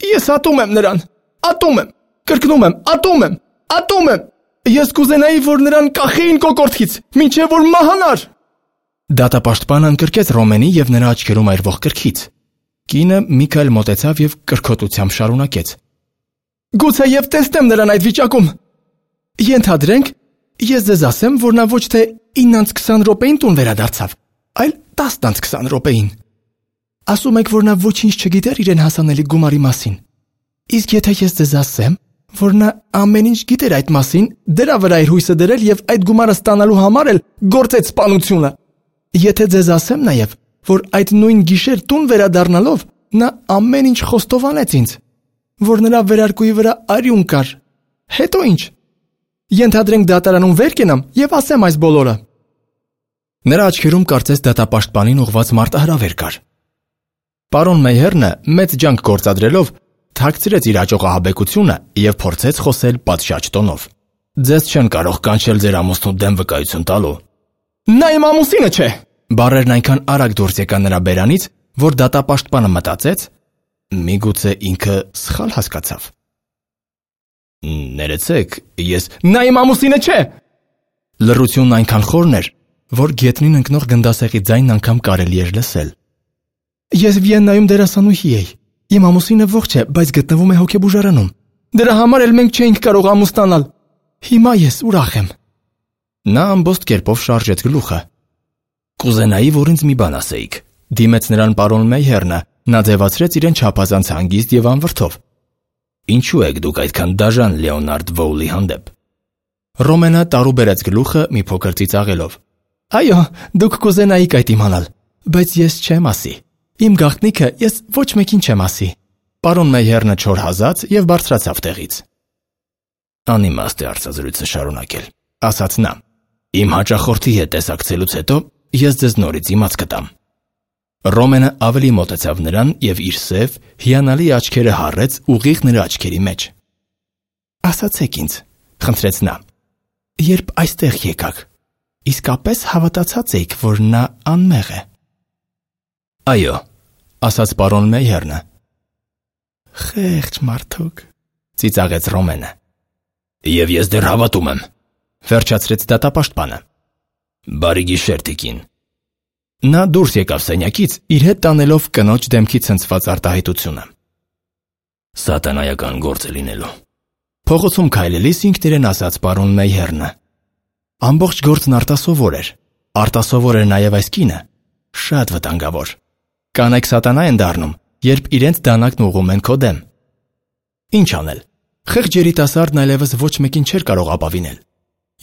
Ես ատում եմ նրան, ատում եմ, կրկնում եմ, ատում եմ, ատում եմ։ Ես կուզենայի, որ նրան կախեին կոկորդից, մինչև որ մահանար։ Դատապաշտպանը ընկրկեց Ռոմենի եւ նրա աչքերում այրվող կրքից։ Կինը մի քայլ մոտեցավ եւ կրկոտությամբ շարունակեց. Գուցե եւ տեսնեմ նրան այդ վիճակում։ Ենթադրենք, ես ձեզ ասեմ, որ նա ոչ թե ինը քսան րոպեին տուն վերադարձավ, այլ տասը քսան րոպեին։ Ասում եք, որ նա ոչինչ չգիտեր իրեն հասանելի գումարի մասին։ Իսկ եթե ես ձեզ ասեմ, որ նա ամեն ինչ գիտեր այդ մասին, դրա վրա իր հույսը դրել եւ այդ գումարը ստանալու համար էլ գործեց սպանությունը։ Եթե ձեզ ասեմ նաեւ, որ այդ նույն գիշեր տուն վերադառնալով նա ամեն ինչ խոստովանեց ինձ, որ նրա վերարկուի վրա արյուն կար։ Հետո ինչ։ Ենթադրենք դատարանում վեր կենամ եւ ասեմ այս բոլորը։ Նրա աչքերում կարծես դատապաշտպանին ուղված մարտահրավեր կար։ Պարոն Մեյհերնը մեծ ջանք գործադրելով թաքցրեց իր աճողահաբեկությունը եւ փորձեց խոսել պատշաճ տոնով։ Ձեզ չեն կարող կանչել ձեր ամուսնու դեմ վկայություն տալու։ Նա իմ ամուսինը չէ։ Բառերն այնքան արագ դուրս եկան նրա բերանից, որ դատապաշտպանը մտածեց, միգուցե ինքը սխալ հասկացավ։ Ներեցեք, ես նա իմ ամուսինը չէ։ Լռությունն այնքան խորն էր, որ գետնին ընկնող գնդասեղի ձայնն անգամ կարելի էր լսել։ Ես Վիեննայում դերասանուհի էի։ Իմ ամուսինը ողջ է, բայց գտնվում է հոգեբուժարանում։ Դրա համար էլ մենք չէինք կարող ամուսնանալ։ Հիմա ես ուրախ եմ։ Նա ամբողջ կերպով շարժեց գլուխը։ Կուզենայի, որ ինձ մի բան ասեիք, դիմեց նրան պարոն Մեյհերնը, նա ձևացրեց իրեն չափազանց հանգիստ եւ անվրդով։ Ինչու եք դուք այդքան դաժան Լեոնարդ Վոուլի հանդեպ։ Ռոմենը տարուբերեց գլուխը մի փոքր ծիծաղելով։ Այո, դուք կուզենայիք այդ իմանալ, բայց ես չեմ ասի։ Իմ գաղտնիքը ես ոչ մեկին չեմ ասի։ Պարոն Մեյհերնը չոր հազաց եւ բարձրացավ տեղից։ Անիմաստ է արծազրույցը շարունակել, ասաց նա։ Իմ հաճախորդի հետ տեսակցելուց հետո ես ձեզ նորից իմաց կտամ։ Ռոմենը ավելի մոտեցավ նրան եւ իր սև, հիանալի աչքերը հառեց ուղիղ նրա աչքերի մեջ։ Ասացեք ինձ, խնդրեց նա։ Երբ այստեղ եկաք, իսկապես հավատացած էիք, որ նա անմեղ է։ Այո, ասաց պարոն Մեյհերնը։ Խեղճ մարդուկ, ծիծաղեց Ռոմենը։ Եվ ես դեռ հավատում եմ, վերջացրեց դատապաշտպանը։ Բարի գիշեր, տիկին։ Նա դուրս եկավ սենյակից, իր հետ տանելով կնոջ դեմքի ցնցված արտահայտությունը։ Սատանայական գործ է լինելու։ Փողոցում քայլելիս ինքն իրեն ասաց պարոն Մեյհերնը։ Ամբողջ գործն արտասովոր էր։ Արտասովոր էր նաև այս կինը։ Շատ վտանգավոր։ Կանայք սատանա են դառնում, երբ իրենց դանակն ուղղում են քո դեմ։ Ինչ անել։ Խեղճ երիտասարդն այլևս ոչ մեկին չէր կարող ապավինել։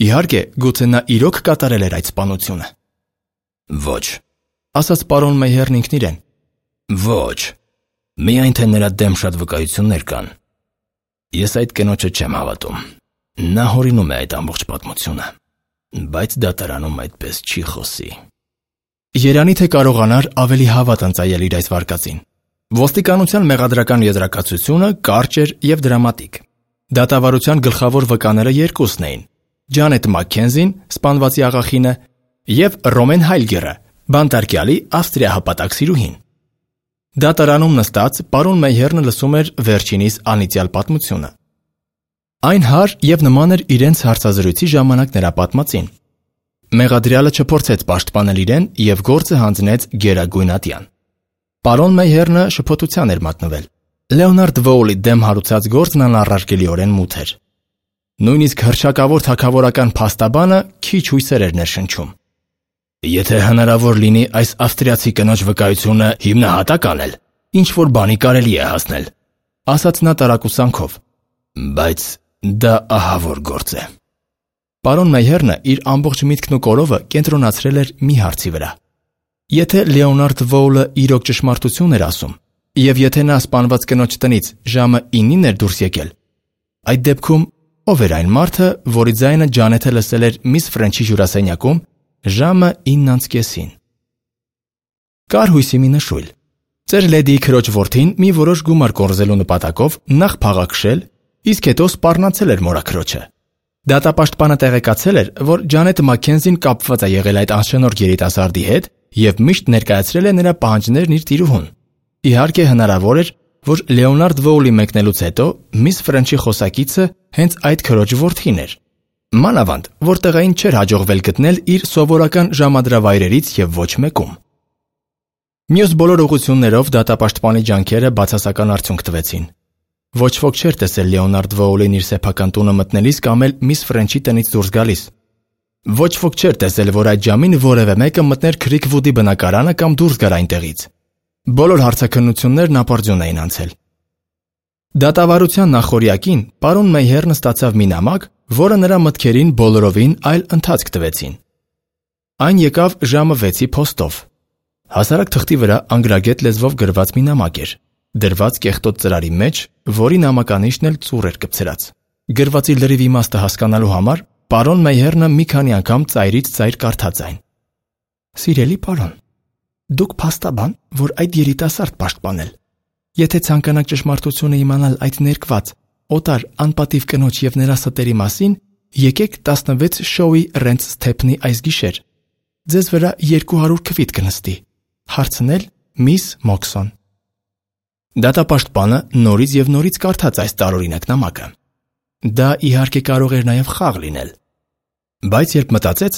Իհարկե, գուցե նա իրոք կատարել էր այդ սպանությունը։ Ոչ, ասաց պարոն Մեյհերն ինքն իրեն։ Ոչ, միայն թե նրա դեմ շատ վկայություններ կան։ Ես այդ կնոջը չեմ հավատում։ Նա հորինում է այդ ամբողջ պատմությունը, բայց դատարանում այդպես չի խոսի։ Երանի թե կարողանար ավելի հավատ ընծայել իր այս վարկածին։ Ոստիկանության մեղադրական եզրակացությունը կարճ էր և դրամատիկ։ Դատավարության գլխավոր վկաները երկուսն էին՝ Ջանետ Մաքքենզին, սպանվածի աղախինը, և Ռոմեն Հայլգերը, բանտարկյալի ավստրիահպատակ սիրուհին։ Դատարանում նստած պարոն Մեյհերնը լսում էր վերջինիս անիծյալ պատմությունը։ Այն հար և նման էր իրենց հարցազրույցի ժամանակ նրա պատմածին։ Մեղադրյալը չփորձեց պաշտպանել իրեն և գործը հանձնեց գերագույն ատյան։ Պարոն Մեյհերնը շփոթության էր մատնվել։ Լեոնարդ Վոուլի դեմ հարուցած գործն անառարկելիորեն մութ էր։ Նույնիսկ հռչակավոր թագավորական փաստաբանը քիչ հույսեր էր ներշնչում։ Եթե հնարավոր լինի այս ավստրիացի կնոջ վկայությունը հիմնահատակ անել, ինչ-որ բանի կարելի է հասնել, ասաց նա տարակուսանքով։ Բայց դա ահավոր գործ է։ Պարոն Մեյհերնը իր ամբողջ միտքն ու կորովը կենտրոնացրել էր մի հարցի վրա։ Եթե Լեոնարդ Վոուլը իրոք ճշմարտություն էր ասում, և եթե նա սպանված կնոջ տնից ժամը ինին էր դուրս եկել, այդ դեպքում ով էր այն մարդը, որի ձայնը Ջանեթը լսել էր միս Ֆրենչի հյուրասենյակում ժամը ինն անց կեսին։ Կար հույսի մի նշույլ։ Ծեր լեդիի քրոջ որդին մի որոշ գումար կորզելու նպատակով նախ փաղաքշել, իսկ հետո սպառնացել էր մորաքրոջը։ Դատապաշտպանը տեղեկացել էր, որ Ջանետ Մաքքենզին կապված է եղել այդ անշնորհ երիտասարդի հետ և միշտ ներկայացրել է նրա պահանջներն իր տիրուհուն։ Իհարկե հնարավոր էր, որ Լեոնարդ Վոուլի մեկնելուց հետո միս Ֆրենչի խոսակիցը հենց այդ քրոջ որդին էր։ Մանավանդ, որ տղային չէր հաջողվել գտնել իր սովորական ժամադրավայրերից և ոչ մեկում։ Մյուս բոլոր ուղղություններով դատապաշտպանի ջանքերը բացասական արդյունք տվեցին։ Ոչ ոք չէր տեսել Լեոնարդ Վոուլին իր սեփական տունը մտնելիս կամ էլ միս Ֆրենչի տնից դուրս գալիս։ Ոչ ոք չէր տեսել, որ այդ ժամին որևէ մեկը մտներ Քրիքվուդի բնակարանը կամ դուրս գար այնտեղից։ Բոլոր հարցաքննություններն ապարդյուն էին անցել։ Դատավարության նախօրյակին պարոն Մեյհերնը ստացավ մի նամակ, որը նրա մտքերին բոլորովին այլ ընթացք տվեցին։ Այն եկավ ժամը վեցի փոստով։ Հասարակ թղթի վրա անգրագետ լեզվով գրված մի նամակ էր, դրված կեղտոտ ծրարի մեջ, որի նամականիշն էլ ծուռ էր կպցրած։ Գրվածի լրիվ իմաստը հասկանալու համար պարոն Մեյհերնը մի քանի անգամ ծայրից ծայր կարդաց այն։ Սիրելի պարոն, դուք փաստաբան, որ այդ երիտասարդ պաշտպանել։ Եթե ցանկանաք ճշմարտությունը իմանալ այդ ներկված, օտար, անպատիվ կնոջ և նրա ստերի մասին, եկեք տասնվեց շոուի Ռենց Սթեփնի այս գիշեր։ Ձեզ վրա երկու հարյուր քվիթ կնստի։ Հարցնել միս Մոքսոն։ Դատապաշտպանը նորից և նորից կարդաց այս տարօրինակ նամակը։ Դա իհարկե կարող էր նաև խաղ լինել։ Բայց երբ մտածեց,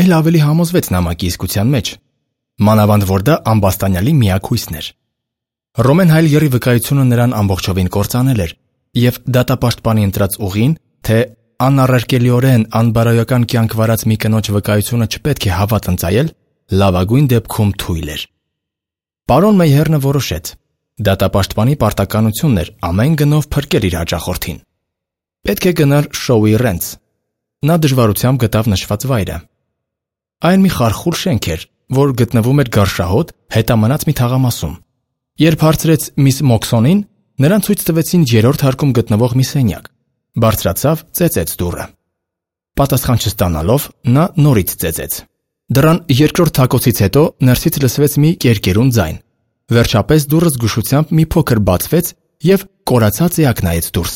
էլ ավելի համոզվեց նամակի իսկության մեջ։ Մանավանդ որ դա ամբաստանյալի միակ հույսն էր։ Ռոմեն Հայլգերի վկայությունը նրան ամբողջովին կործանել էր, և դատապաշտպանի ընտրած ուղին, թե անառարկելիորեն անբարոյական կյանք վարած մի կնոջ վկայությունը չպետք է հավատ ընծայել, լավագույն դեպքում թույլ էր։ Պարոն Մեյհերնը որոշեց։ Դատապաշտպանի պարտականությունն էր ամեն գնով փրկել իր հաճախորդին։ Պետք է գնար շոուի Ռենց։ Նա դժվարությամբ գտավ նշված վայրը։ Այն մի խարխուլ շենք էր, որ գտնվում էր Գարշահոտ հետամնաց մի թաղամասում։ Երբ հարցրեց միս Մոքսոնին, նրան ցույց տվեցին երրորդ հարկում գտնվող մի սենյակ։ Բարձրացավ, ծեծեց դուռը։ Պատասխան չստանալով, նա նորից ծեծեց։ Դռան երկրորդ թակոցից հետո ներսից լսվեց մի կերկերուն ձայն։ Վերջապես դուռը զգուշությամբ մի փոքր բացվեց և կորացած էակ նայեց դուրս։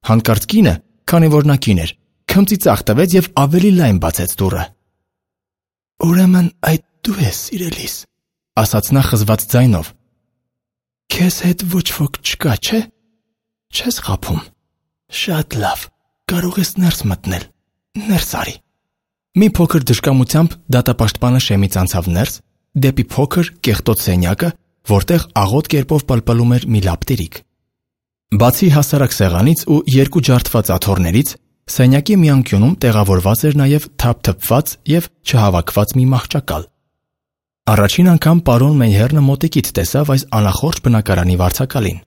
Հանկարծ կինը, քանի որ նա կին էր, քմծի ծաղ տվեց և ավելի լայն բացեց դուռը։ «Ուրեմն այդ դու ես, սիրելիս», ասաց նա խզված ձայնով։ «Քեզ հետ ոչ ոք չկա, չէ՞։ Չես խաբում։ Շատ լավ, կարող ես ներս մտնել, ներս արի»։ Մի փոքր դժկամությամբ դատապաշտպանը շեմից անցավ ներս, դեպի փոքր կեղտոտ սենյակը, որտեղ աղոտ կերպով պլպլում էր մի լապտերիկ։ Բացի հասարակ սեղանից ու երկու ջարդված աթոռներից, սենյակի մի անկյունում տեղավորված էր նաև թափթփված և չհավաքված մի մահճակալ։ Առաջին անգամ պարոն Մեյհերնը մոտիկից տեսավ այս անախորժ բնակարանի վարձակալին։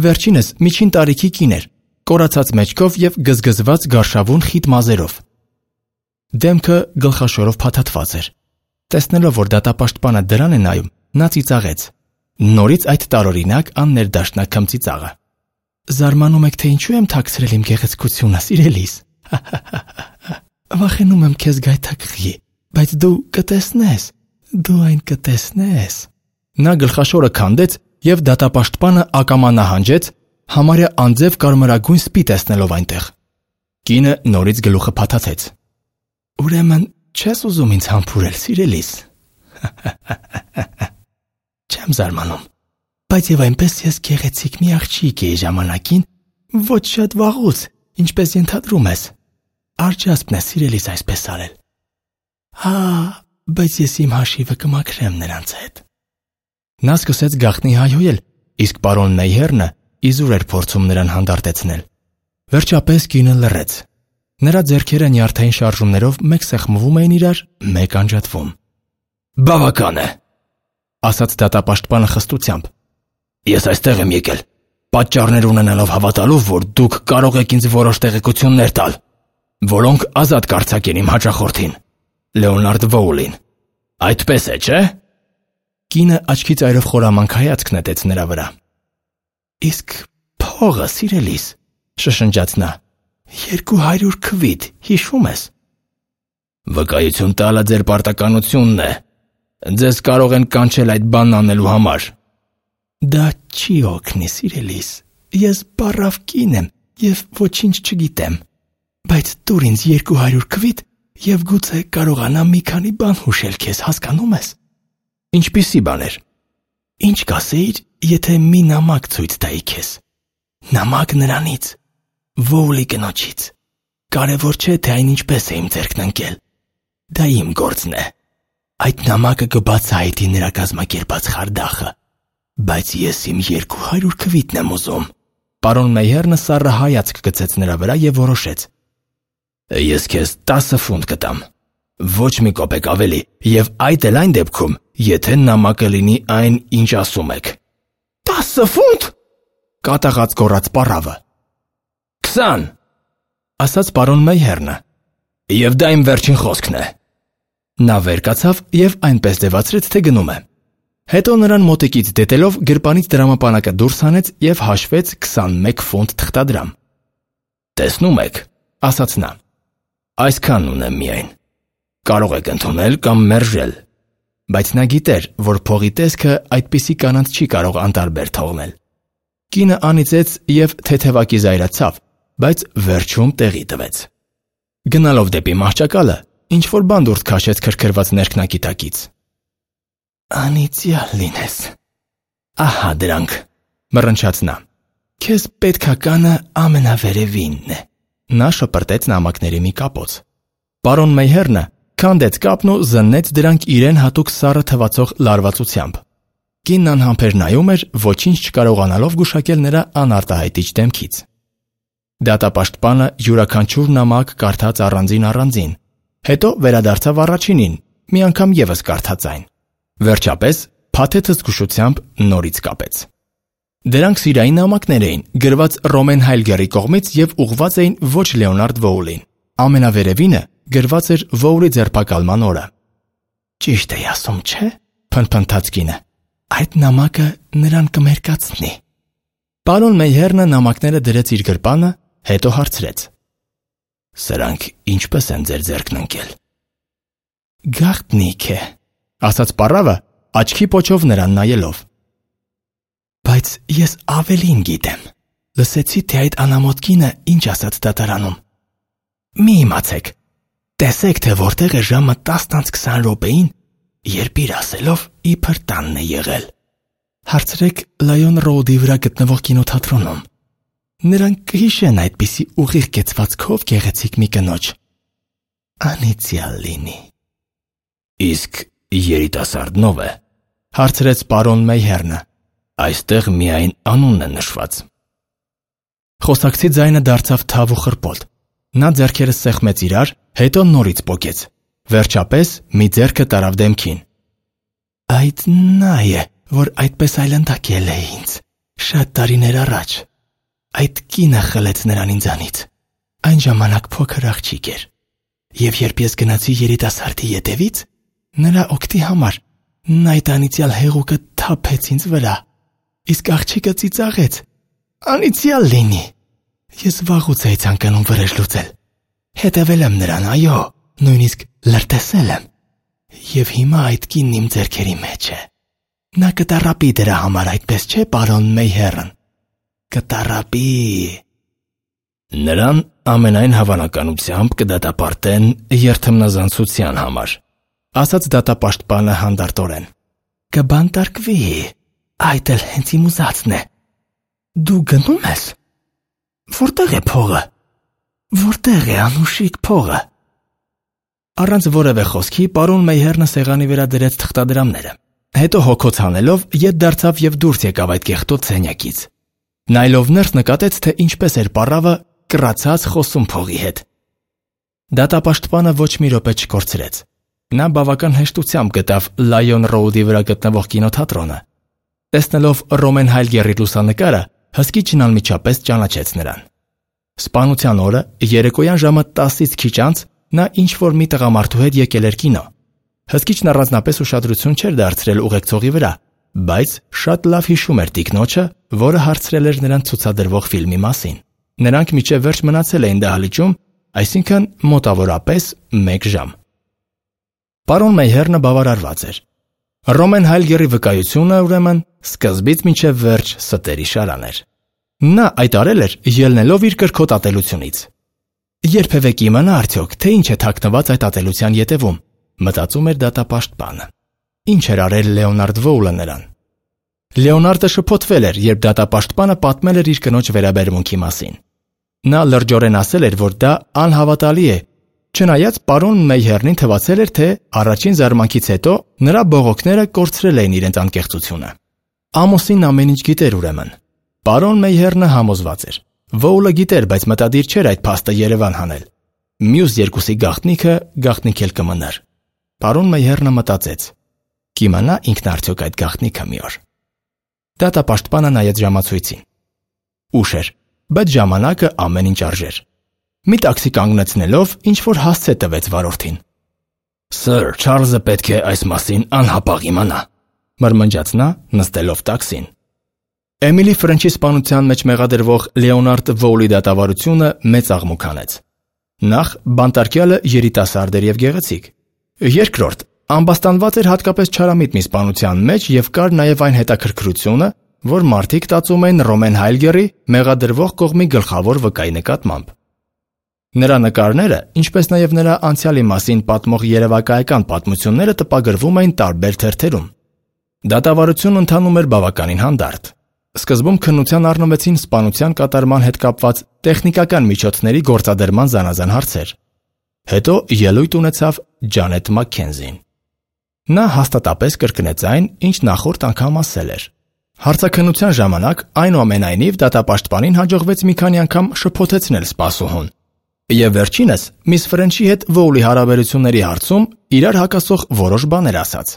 Վերջինս միջին տարիքի կին էր, կորացած մեջքով և գզգզված գարշավուն խիտ մազերով։ Դեմքը գլխաշորով փաթաթված էր։ Տեսնելով, որ դատապաշտպանը դրան է նայում, նա ծիծաղեց։ Նորից այդ տարօրինակ աններդաշնակ քմծի ծաղը։ «Զարմանում եք, թե ինչու եմ թաքցրել իմ գեղեցկությունը, սիրելիս։ Վախենում եմ քեզ գայթակղի, բայց դու կտեսնես, դու այն կտեսնես»։ Նա գլխաշորը քանդեց և դատապաշտպանը ակամա նահանջեց, համարյա անձև կարմրագույն սպի տեսնելով այնտեղ։ Կինը նորից գլուխը փաթաթեց։ «Ուրեմն չես ուզում ինձ համբուրել, սիրելիս։ Չեմ զարմանում, բայց և այնպես ես գեղեցիկ մի աղջիկ էի ժամանակին, ոչ շատ վաղուց, ինչպես ենթադրում ես։ Արջասպն է, սիրելիս, այսպես արել։ Հա, բայց ես իմ հաշիվը կմաքրեմ նրանց հետ»։ Նա սկսեց գաղտնի հայհոյել, իսկ պարոն Մեյհերնը իզուր էր փորձում նրան հանդարտեցնել։ Վերջապես կինը լռեց։ Նրա ձեռքերը նյարդային շարժումներով մեկ սեղմվում էին իրար, մեկ անջատվում։ «Բավական է», ասաց դատապաշտպանը խստությամբ։ «Ես այստեղ եմ եկել, պատճառներ ունենալով հավատալով, որ դուք կարող եք ինձ որոշ տեղեկություններ տալ, որոնք ազատ կարձակեն իմ հաճախորդին, Լեոնարդ Վոուլին։ Այդպես է, չէ՞։ Կինը աչքի ծայրով խորամանկ հայացք նետեց նրա վրա։ «Իսկ փողը, սիրելիս», շշնջաց նա։ «Երկու հարյուր քվիթ, հիշում ես»։ «Վկայություն տալը ձեր պարտականությունն է։ Ձեզ կարող են կանչել այդ բանն անելու համար»։ «Դա չի օգնի, սիրելիս, ես բառավ կին եմ և ոչինչ չգիտեմ, բայց տուր ինձ երկու հարյուր քվիթ և գուցե կարողանամ մի քանի բան հուշել քեզ, հասկանում ես»։ «Ինչպիսի բաներ»։ «Ինչ կասեիր, եթե մի նամակ ցույց տայի քեզ։ Նամակ նրանից, Վոուլի կնոջից։ Կարևոր չէ, թե այն ինչպես է իմ ձեռքն ընկել։ Դա իմ գործն է։ Այդ նամակը կբացահայտի նրա կազմակերպած խարդախը, բայց ես իմ երկու հարյուր քվիթն եմ ուզում»։ Պարոն Մեյհերնը սառը հայացք գցեց նրա վրա և որոշեց։ «Ես քեզ տասը ֆունտ կտամ, ոչ մի կոպեկ ավելի, և այդ էլ այն դեպքում, եթե նամակը լինի այն, ինչ ասում եք»։ «Տասը ֆունտ», կատաղած գոռաց պառավը։ «Քսան», ասաց պարոն Մեյհերնը, «և դա իմ վերջին խոսքն է»։ Նա վեր կացավ և այնպես ձևացրեց, թե գնում է։ Հետո նրան մոտիկից դետելով գրպանից դրամապանակը դուրս հանեց և հաշվեց քսանմեկ ֆունտ թղթադրամ։ «Տեսնում եք», ասաց նա, «այսքանն ունեմ միայն։ Կարող եք ընդունել կամ մերժել»։ Բայց նա գիտեր, որ փողի տեսքը այդպիսի կանանց չի կարող անտարբեր թողնել։ Կինը անիծեց և թեթևակի զայրացավ, բայց վերջում տեղի տվեց։ Գնալով դեպի մահճակալը, ինչ-որ բան դուրս քաշեց քրքրված ներքնակի տակից։ «Անիծյալ լինես։ Ահա դրանք», մռնչաց նա։ «Քեզ պետքականը ամենավերևինն է»։ Նա շպրտեց նամակների մի կապոց։ Պարոն Մեյհերնը քանդեց կապն ու զննեց դրանք իրեն հատուկ սառը թվացող լարվածությամբ։ Կինն անհամբեր նայում էր, ոչինչ չկարողանալով գուշակել նրա անարտահայտիչ դեմքից։ Դատապաշտպանը յուրաքանչյուր նամակ կարդաց առանձին-առանձին, հետո վերադարձավ առաջինին, մի անգամ ևս կարդաց այն։ Վերջապես փաթեթը զգուշությամբ նորից կապեց։ Դրանք սիրային նամակներ էին, գրված Ռոմեն Հայլգերի կողմից և ուղղված էին ոչ Լեոնարդ Վոուլին։ Ամենավերևինը գրված էր Վոուլի ձերբակալման օրը։ «Ճիշտ էի ասում, չէ՞», փնթփնթաց կինը։ «Այդ նամակը նրան կմերկացնի»։ Պարոն Մեյհերնը նամակները դրեց իր գրպանը, հետո հարցրեց. «Սրանք ինչպես են ձեր ձեռքն ընկել»։ «Գաղտնիք է», ասաց պառավը, աչքի պոչով նրան նայելով։ «Բայց ես ավելին գիտեմ», Լսեցի, թե այդ անամոթ կինը ինչ ասաց դատարանում։ Մի իմացեք, տեսեք, թե որտեղ է ժամը տասն անց քսան րոպեին, երբ իր ասելով իբր տանն է եղել։ Հարցրեք Լայոն Ռոուդի վրա գտնվող կինոթատրոնում։ Նրանք կհիշեն այդպիսի ուղիղ կեցվածքով գեղեցիկ մի կնոջ։ Անիծյալ լինի։ Իսկ երիտասարդն ով է։ Հարցրեց պարոն Մեյհերնը։ Այստեղ միայն անունն է նշված։ Խոսակցի ձայնը դարձավ թավ ու խռպոտ։ Նա ձեռքերը սեղմեց իրար, հետո նորից պոկեց։ Վերջապես մի ձեռքը տարավ դեմքին։ Այդ նա է, որ այդպես այլանդակել է ինձ։ Շատ տարիներ առաջ։ Այդ կինը խլեց նրան ինձանից։ Այն ժամանակ փոքր աղջիկ էր։ Եվ երբ ես գնացի երիտասարդի ետևից, նրա օգտի համար նա այդ անիծյալ հեղուկը թափեց ինձ վրա։ Իսկ աղջիկը ծիծաղեց։ Անիծյալ լինի։ Ես վաղուց էի ցանկանում վրեժ լուծել։ Հետևել եմ նրան, այո, նույնիսկ լրտեսել եմ։ Եվ հիմա այդ կինն իմ ձեռքերի մեջ է։ Նա կտարապի դրա համար, այդպես չէ, պարոն Մեյհերն։ Կտարապի։ Նրան ամենայն հավանականությամբ կդատապարտեն երթմնազանցության համար, ասաց դատապաշտպանը հանդարտորեն։ Կբանտարկվի, այդ էլ հենց իմ ուզածն է։ Դու գնում ես։ Որտեղ է փողը։ Որտեղ է անուշիկ փողը։ Առանց որևէ խոսքի պարոն Մեյհերնը սեղանի վրա դրեց թղթադրամները։ Հետո հոգոց հանելով ետ դարձավ եւ դուրս եկավ այդ կեղտոտ սենյակից։ Նայելով ներս նկատեց, թե ինչպես էր պարավը կռացած խոսում փողի հետ։ Դատապաշտպանը ոչ մի րոպե չկորցրեց։ Նա բավական հեշտությամբ գտավ Լայոն Ռոուդի վրա գտնվող կինոթատրոնը։ Տեսնելով Ռոմեն Հայլգերի լուսանկարը, հսկիչն անմիջապես ճանաչեց նրան։ Սպանության օրը երեկոյան ժամը տասից քիչ անց նա ինչ-որ մի տղամարդու հետ եկել էր կինո։ Հսկիչն առանձնապես ուշադրություն չէր դարձրել ուղեկցողի վրա, բայց շատ լավ հիշում էր տիկնոջը, որը հարցրել էր նրան ցուցադրվող ֆիլմի մասին։ Նրանք մինչև վերջ մնացել էին դահլիճում, այսինքն մոտավորապես մեկ ժամ։ Պարոն Մեյհերնը բավարարված էր։ Ռոմեն Հայլգերի վկայությունը, ուրեմն, սկզբից մինչև վերջ ստերի շարան էր։ Նա այդ արել էր ելնելով իր կրքոտ ատելությունից։ Երբևէ կիմանա արդյոք, թե ինչ է թաքնված այդ ատելության ետևում, մտածում էր դատապաշտպանը։ Ինչ էր արել Լեոնարդ Վոուլը նրան։ Լեոնարդը շփոթվել էր, երբ դատապաշտպանը պատմել էր իր կնոջ վերաբերմունքի մասին։ Նա լրջորեն ասել էր, որ դա անհավատալի է, չնայած պարոն Մեյհերնին թվացել էր, թե առաջին զարմանքից հետո նրա բողոքները կորցրել էին իրենց անկեղծությունը։ Ամոսինն ամեն ինչ գիտեր ուրեմն։ Պարոն Մեյհերնը համոզված էր։ Վոուլը գիտեր, բայց մտադիր չէր այդ փաստը Երևան հանել։ Մյուս երկուսի գաղտնիքը գաղտնիք էլ կմնար։ Պարոն Մեյհերնը մտածեց. կիմանա ինքն արդյոք այդ գաղտնիքը մի օր։ Դատապաշտպանը նայեց ժամացույցին։ Ուշ էր, բայց ժամանակը ամեն ինչ արժեր։ Մի տաքսի կանգնեցնելով ինչ-որ հասցե տվեց վարորդին։ Սըր, Չարլզը պետք է այս մասին անհապաղ իմանա, մրմնջաց նա, նստելով տաքսին։ Էմիլի Ֆրենչի սպանության մեջ մեղադրվող Լեոնարդ Վոուլի դատավարությունը մեծ աղմուկ հանեց։ Նախ բանտարկյալը երիտասարդ էր եւ գեղեցիկ։ Երկրորդ, ամբաստանված էր հատկապես չարամիտ մի սպանության մեջ եւ կար նաեւ այն հետաքրքրությունը, որ մարդիկ տածում էին Ռոմեն Հայլգերի մեղադրվող կողմի գլխավոր վկայի նկատմամբ։ Նրա նկարները, ինչպես նաեւ նրա անցյալի մասին պատմող երևակայական պատմությունները տպագրվում էին տարբեր թերթերում։ Դատավարությունն ընթանում էր բավականին հանդարտ։ Սկզբում քննության առնվեցին սպանության կատարման հետ կապված տեխնիկական միջոցների գործադրման զանազան հարցեր։ Հետո ելույթ ունեցավ Ջանետ Մաքքենզին։ Նա հաստատապես կրկնեց այն, ինչ նախորդ անգամ ասել էր։ Հարցաքննության ժամանակ այնուամենայնիվ դատապաշտպանին հաջողվեց մի քանի անգամ շփոթեցնել սպասուհուն։ Եվ վերջինս միս Ֆրենչի հետ Վոուլի հարաբերությունների հարցում իրար հակասող որոշ բաներ ասաց։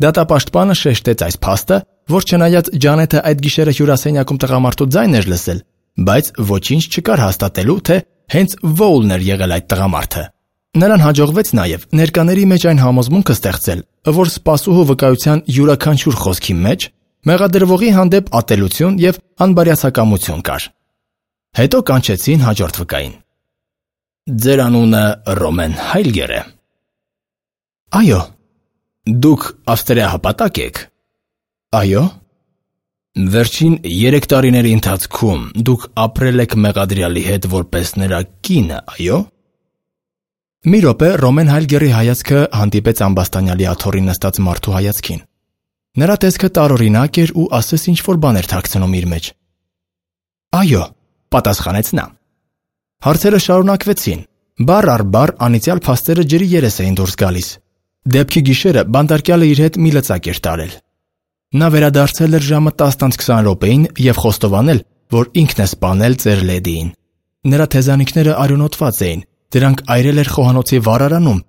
Դատապաշտպանը շեշտեց այս փաստը, որ չնայած Ջանետը այդ գիշերը հյուրասենյակում տղամարդու ձայնն էր լսել, բայց ոչինչ չկար հաստատելու, թե հենց Վոուլն էր եղել այդ տղամարդը։ Նրան հաջողվեց նաև ներկաների մեջ այն համոզմունքը ստեղծել, որ սպասուհու վկայության յուրաքանչյուր խոսքի մեջ մեղադրվողի հանդեպ ատելություն եւ անբարյացակամություն կար։ Հետո կանչեցին հաջորդ վկային։ Ձեր անունը Ռոմեն Հայլգեր է։ Այո։ Դուք ավստրիահպատակ եք։ Այո։ Վերջին երեք տարիների ընթացքում դուք ապրել եք մեղադրյալի հետ որպես նրա կինը, այո՞։ Մի րոպե Ռոմեն Հայլգերի հայացքը հանդիպեց ամբաստանյալի աթոռին նստած մարդու հայացքին։ Նրա տեսքը տարօրինակ էր ու ասես ինչ-որ բան էր թաքցնում իր մեջ։ Այո, պատասխանեց նա։ Հարցերը շարունակվեցին։ Բառ առ բառ անիծյալ փաստերը ջրի երես էին դուրս գալիս։ Դեպքի գիշերը բանտարկյալը իր հետ մի լծակ էր տարել։ Նա վերադարձել էր ժամը տասն քսան րոպեին եւ խոստովանել, որ ինքն է սպանել ծեր լեդիին։ Նրա թեզանիքները արյունոտված էին, դրանք այրել էր խոհանոցի վառարանում,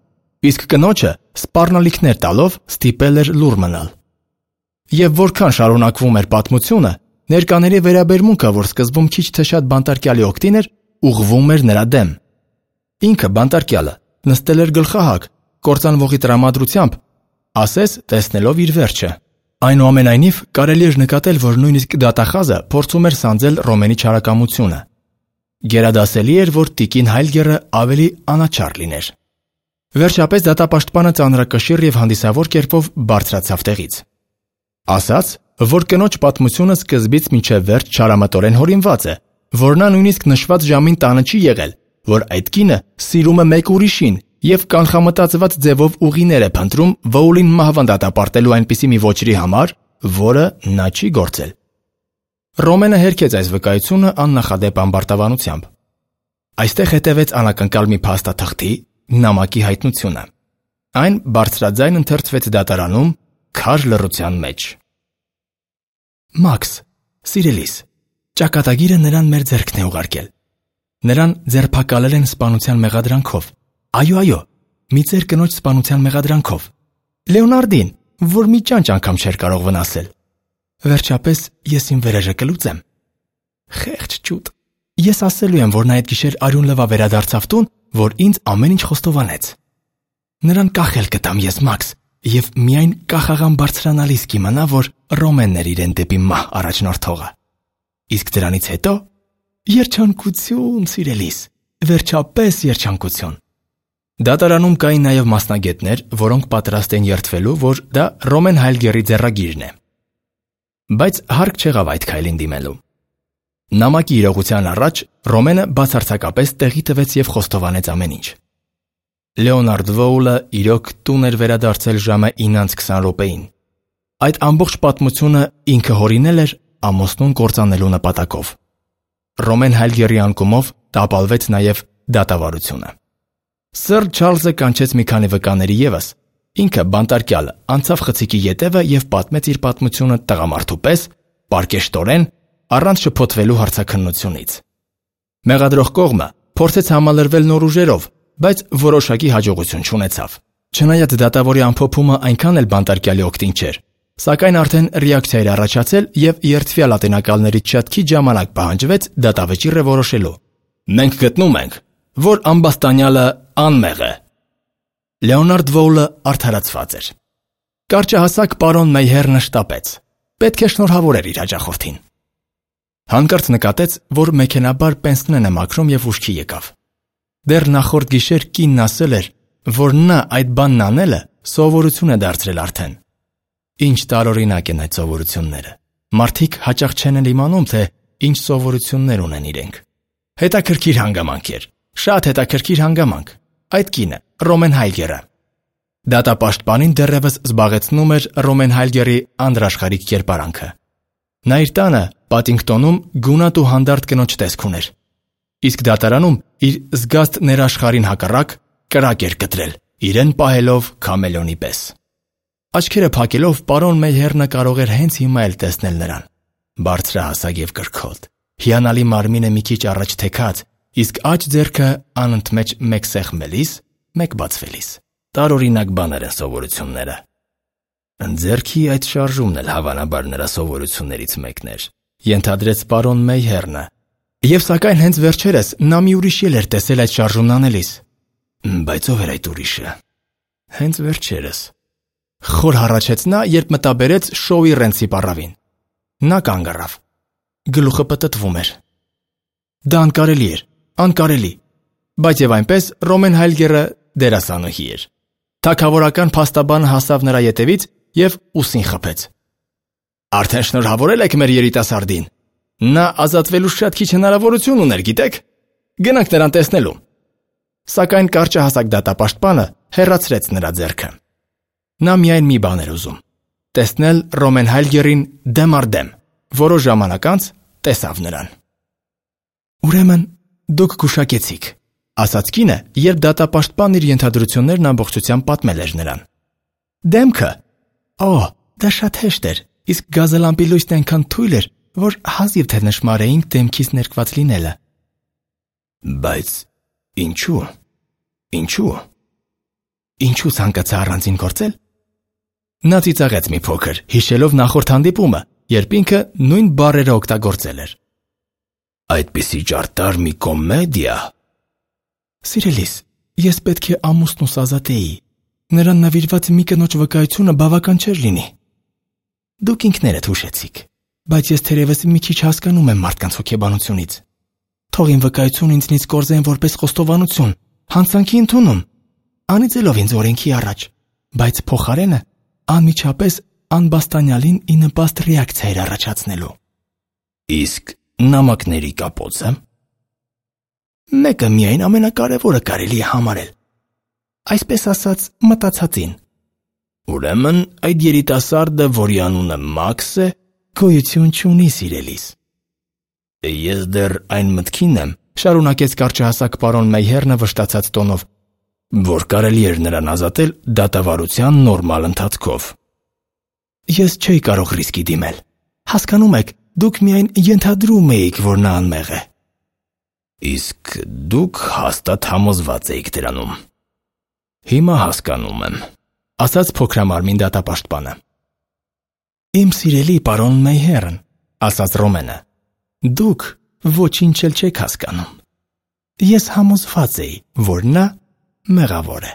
իսկ կնոջը սպառնալիքներ տալով ստիպել էր լուռ մնալ։ Եվ որքան շարունակվում էր պատմությունը, ներկաների վերաբերմունքը, որ սկզբում քիչ թե շատ բանտարկյալի օգտին էր, ուղղվում էր նրա դեմ։ Ինքը բանտարկյալը նստել էր գլխահակ, կործանվողի տրամադրությամբ, ասես տեսնելով իր վերջը։ Այնուամենայնիվ, կարելի էր նկատել, որ նույնիսկ դատախազը փորձում էր սանձել Ռոմենի չարակամությունը։ Գերադասելի էր, որ տիկին Հայլգերը ավելի անաչառ լիներ։ Վերջապես դատապաշտպանը ծանրակշիռ եւ հանդիսավոր կերպով բարձրացավ տեղից։ Ասաց, որ կնոջ պատմությունը սկզբից մինչև վերջ չարամտորեն հորինված է, որ նա նույնիսկ նշված ժամին տանը չի եղել, որ այդ կինը սիրում է մեկ ուրիշին եւ կանխամտածված ձևով ուղիներ է փնտրում Վոուլին մահվան դատապարտելու այնպիսի մի ոչրի համար, որը նա չի գործել։ Ռոմենը հերքեց այս վկայությունը աննախադեպ ամբարտավանությամբ։ Այստեղ հետևեց անակնկալ մի փաստաթղթի նամակի հայտնությունը։ Այն բարձրաձայն ընթերցվեց դատարանում քար լռության մեջ։ Մաքս, սիրելիս, ճակատագիրը նրան մեր ձեռքն է ուղարկել։ Նրան ձերբակալել են սպանության մեղադրանքով։ Այո, այո, մի ծեր կնոջ սպանության մեղադրանքով։ Լեոնարդին, որ մի ճանճ անգամ չէր կարող վնասել։ Վերջապես ես իմ վերերը կլուծեմ։ Խեղճ ճուտ։ Ես ասելու եմ, որ նա այդ գիշեր արյուն լվա վերադարձավ տուն, որ ինձ ամեն ինչ խոստովանեց։ Նրան կախել կտամ ես, Մաքս, եւ միայն կախաղան բարձրանալիս կիմանա, որ Ռոմենն էր իրեն դեպի մահ առաջնորդողը։ Իսկ դրանից հետո երջանկություն, սիրելիս, վերջապես երջանկություն։ Դատարանում կային նաև մասնագետներ, որոնք պատրաստ էին երդվելու, որ դա Ռոմեն Հայլգերի ձեռագիրն է։ Բայց հարկ չեղավ այդ քայլին դիմելու։ Նամակի իրողության առաջ Ռոմենը բացարձակապես տեղի տվեց եւ խոստովանեց ամեն ինչ։ Լեոնարդ Վոուլը իրոք տուն էր վերադարձել ժամը ինը քսան րոպեին։ Այդ ամբողջ պատմությունը ինքը հորինել էր ամուսնուն կործանելու նպատակով։ Ռոմեն Հայլգերի անկումով տապալվեց նաև դատավարությունը։ Սըր Չարլզը կանչեց մի քանի վկաների ևս։ Ինքը բանտարկյալը անցավ խցիկի ետևը եւ պատմեց իր պատմությունը տղամարդու պես, պարկեշտորեն, առանց շփոթվելու հարցաքննությունից։ Մեղադրող կողմը փորձեց համալրվել նոր ուժերով, բայց որոշակի հաջողություն չունեցավ։ Չնայած դատավորի ամփոփումը այնքան էլ բանտարկյալի օգտին չէր, սակայն արդեն ռեակցիա էր առաջացել եւ երդվյալ ատենակալներից շատ քիչ ժամանակ պահանջվեց դատավճիռը որոշելու։ Մենք գտնում ենք, որ ամբաստանյալը անմեղ է։ Լեոնարդ Վոուլը արդարացված էր։ Կարճահասակ պարոն Մեյհերնը շտապեց։ Պետք է շնորհավորեր իր հաճախորդին։ Հանկարծ նկատեց, որ մեքենաբար պենսնեն է մաքրում եւ ուշքի եկավ։ Դեռ նախորդ գիշեր կինն ասել էր, որ նա այդ բանն անելը սովորություն է դարձրել արդեն։ Ինչ տարօրինակ են այդ սովորությունները։ Մարդիկ հաճախ չեն էլ իմանում, թե ինչ սովորություններ ունեն իրենք։ Հետաքրքիր հանգամանք էր։ Շատ հետաքրքիր հանգամանք։ Այդ կինը Ռոմեն Հայլգերը։ Դատապաշտպանին դեռևս զբաղեցնում էր Ռոմեն Հայլգերի անդրաշխարհիկ կերպարանքը։ Նա իր տանը Պատինգտոնում գունատ ու հանդարտ կնոջ տեսք ուներ։ Իսկ դատարանում իր զգաստ ներաշխարհին հակառակ կրակ էր կտրել, իրեն պահելով քամելոնի պես։ Աչքերը փակելով պարոն Մեյհերնը կարող էր հենց հիմա էլ տեսնել նրան։ Բարձրահասակ եւ կրքոտ, հիանալի մարմինը մի քիչ առաջ թեքած, իսկ աջ ձեռքը անընդմեջ մեկ սեղմելիս, մեկ բացվելիս։ Տարօրինակ բաներ են սովորությունները։ Ձեռքի այդ շարժումն էլ հավանաբար նրա սովորություններից մեկն էր, ենթադրեց պարոն Մեյհերնը։ Եվ սակայն հենց վերջերս նա մի ուրիշ ել էր տեսել այդ շարժումն անելիս։ Բայց ով էր այդ ուրիշը։ Հենց վերջերս։ Խոր հառաչեց նա, երբ մտաբերեց շոուի Ռենցի պառավին։ Նա կանգ առավ։ Գլուխը պտտվում էր։ Դա անկարելի էր, անկարելի։ Բայց եւ այնպես Ռոմեն Հայլգերը դերասանուհի էր։ Թագավորական փաստաբանը հասավ նրա ետևից եւ ուսին խփեց։ Արդեն շնորհավորել եք մեր երիտասարդին։ Նա ազատվելու շատ քիչ հնարավորություն ուներ, գիտեք։ Գնանք նրան տեսնելու։ Սակայն կարճահասակ դատապաշտպանը հեռացրեց նրա ձեռքը։ Նա միայն մի բան էր ուզում՝ տեսնել Ռոմեն Հայլգերին դեմ առ դեմ։ Որոշ ժամանակ անց տեսավ նրան։ «Ուրեմն դուք գուշակեցիք», ասաց կինը, երբ դատապաշտպանն իր ենթադրություններն ամբողջությամբ պատմել էր նրան։ «Դեմքը։ Օ, դա շատ հեշտ էր, իսկ գազալամպի լույսն այնքան թույլ էր, որ հազիվ թե նշմարեինք դեմքից ներկված լինելը»։ «Բայց ինչու՞։ Ինչու՞։ Ինչու ցանկացա առանձին գործել»։ Նա ծիծաղեց մի փոքր, հիշելով նախորդ հանդիպումը, երբ ինքը նույն բառերը օգտագործել էր։ «Այդպիսի ճարտար մի կոմեդիա»։ «Սիրելիս, ես պետք է ամուսնուս ազատեի։ Նրան նվիրված մի կնոջ վկայությունը բավական չէր լինի»։ «Դուք ինքներդ հուշեցիք, բայց ես թերևս մի քիչ հասկանում եմ մարդկանց հոգեբանությունից։ Թող իմ վկայությունը ինձնից կորզեն որպես խոստովանություն, հանցանքի ընդունում, անիծելով ինձ օրենքի առաջ, բայց փոխարենը անմիջապես անբաստանյալին ի նպաստ ռեակցիա էր առաջացնելու»։ «Իսկ նամակների կապոցը»։ «Մեկը միայն ամենակարևորը կարելի է համարել, այսպես ասած մտածածին»։ «Ուրեմն այդ երիտասարդը, որի անունը Մաքս է, գոյություն չունի, սիրելիս»։ «Ես դեռ այն մտքին եմ», շարունակեց կարճահասակ պարոն Մեյհերնը վշտացած տոնով, «որ կարելի էր նրան ազատել դատավարության նորմալ ընթացքով»։ «Ես չէի կարող ռիսկի դիմել։ Հասկանում եք, դուք միայն ենթադրում էիք, որ նա անմեղ է»։ «Իսկ դուք հաստատ համոզված էիք դրանում»։ «Հիմա հասկանում եմ», ասաց փոքրամարմին դատապաշտպանը։ «Իմ սիրելի պարոն Մեյհերն», ասաց Ռոմենը, «դուք ոչինչ էլ չեք հասկանում։ Ես համոզված էի, որ նա մեղավոր է»։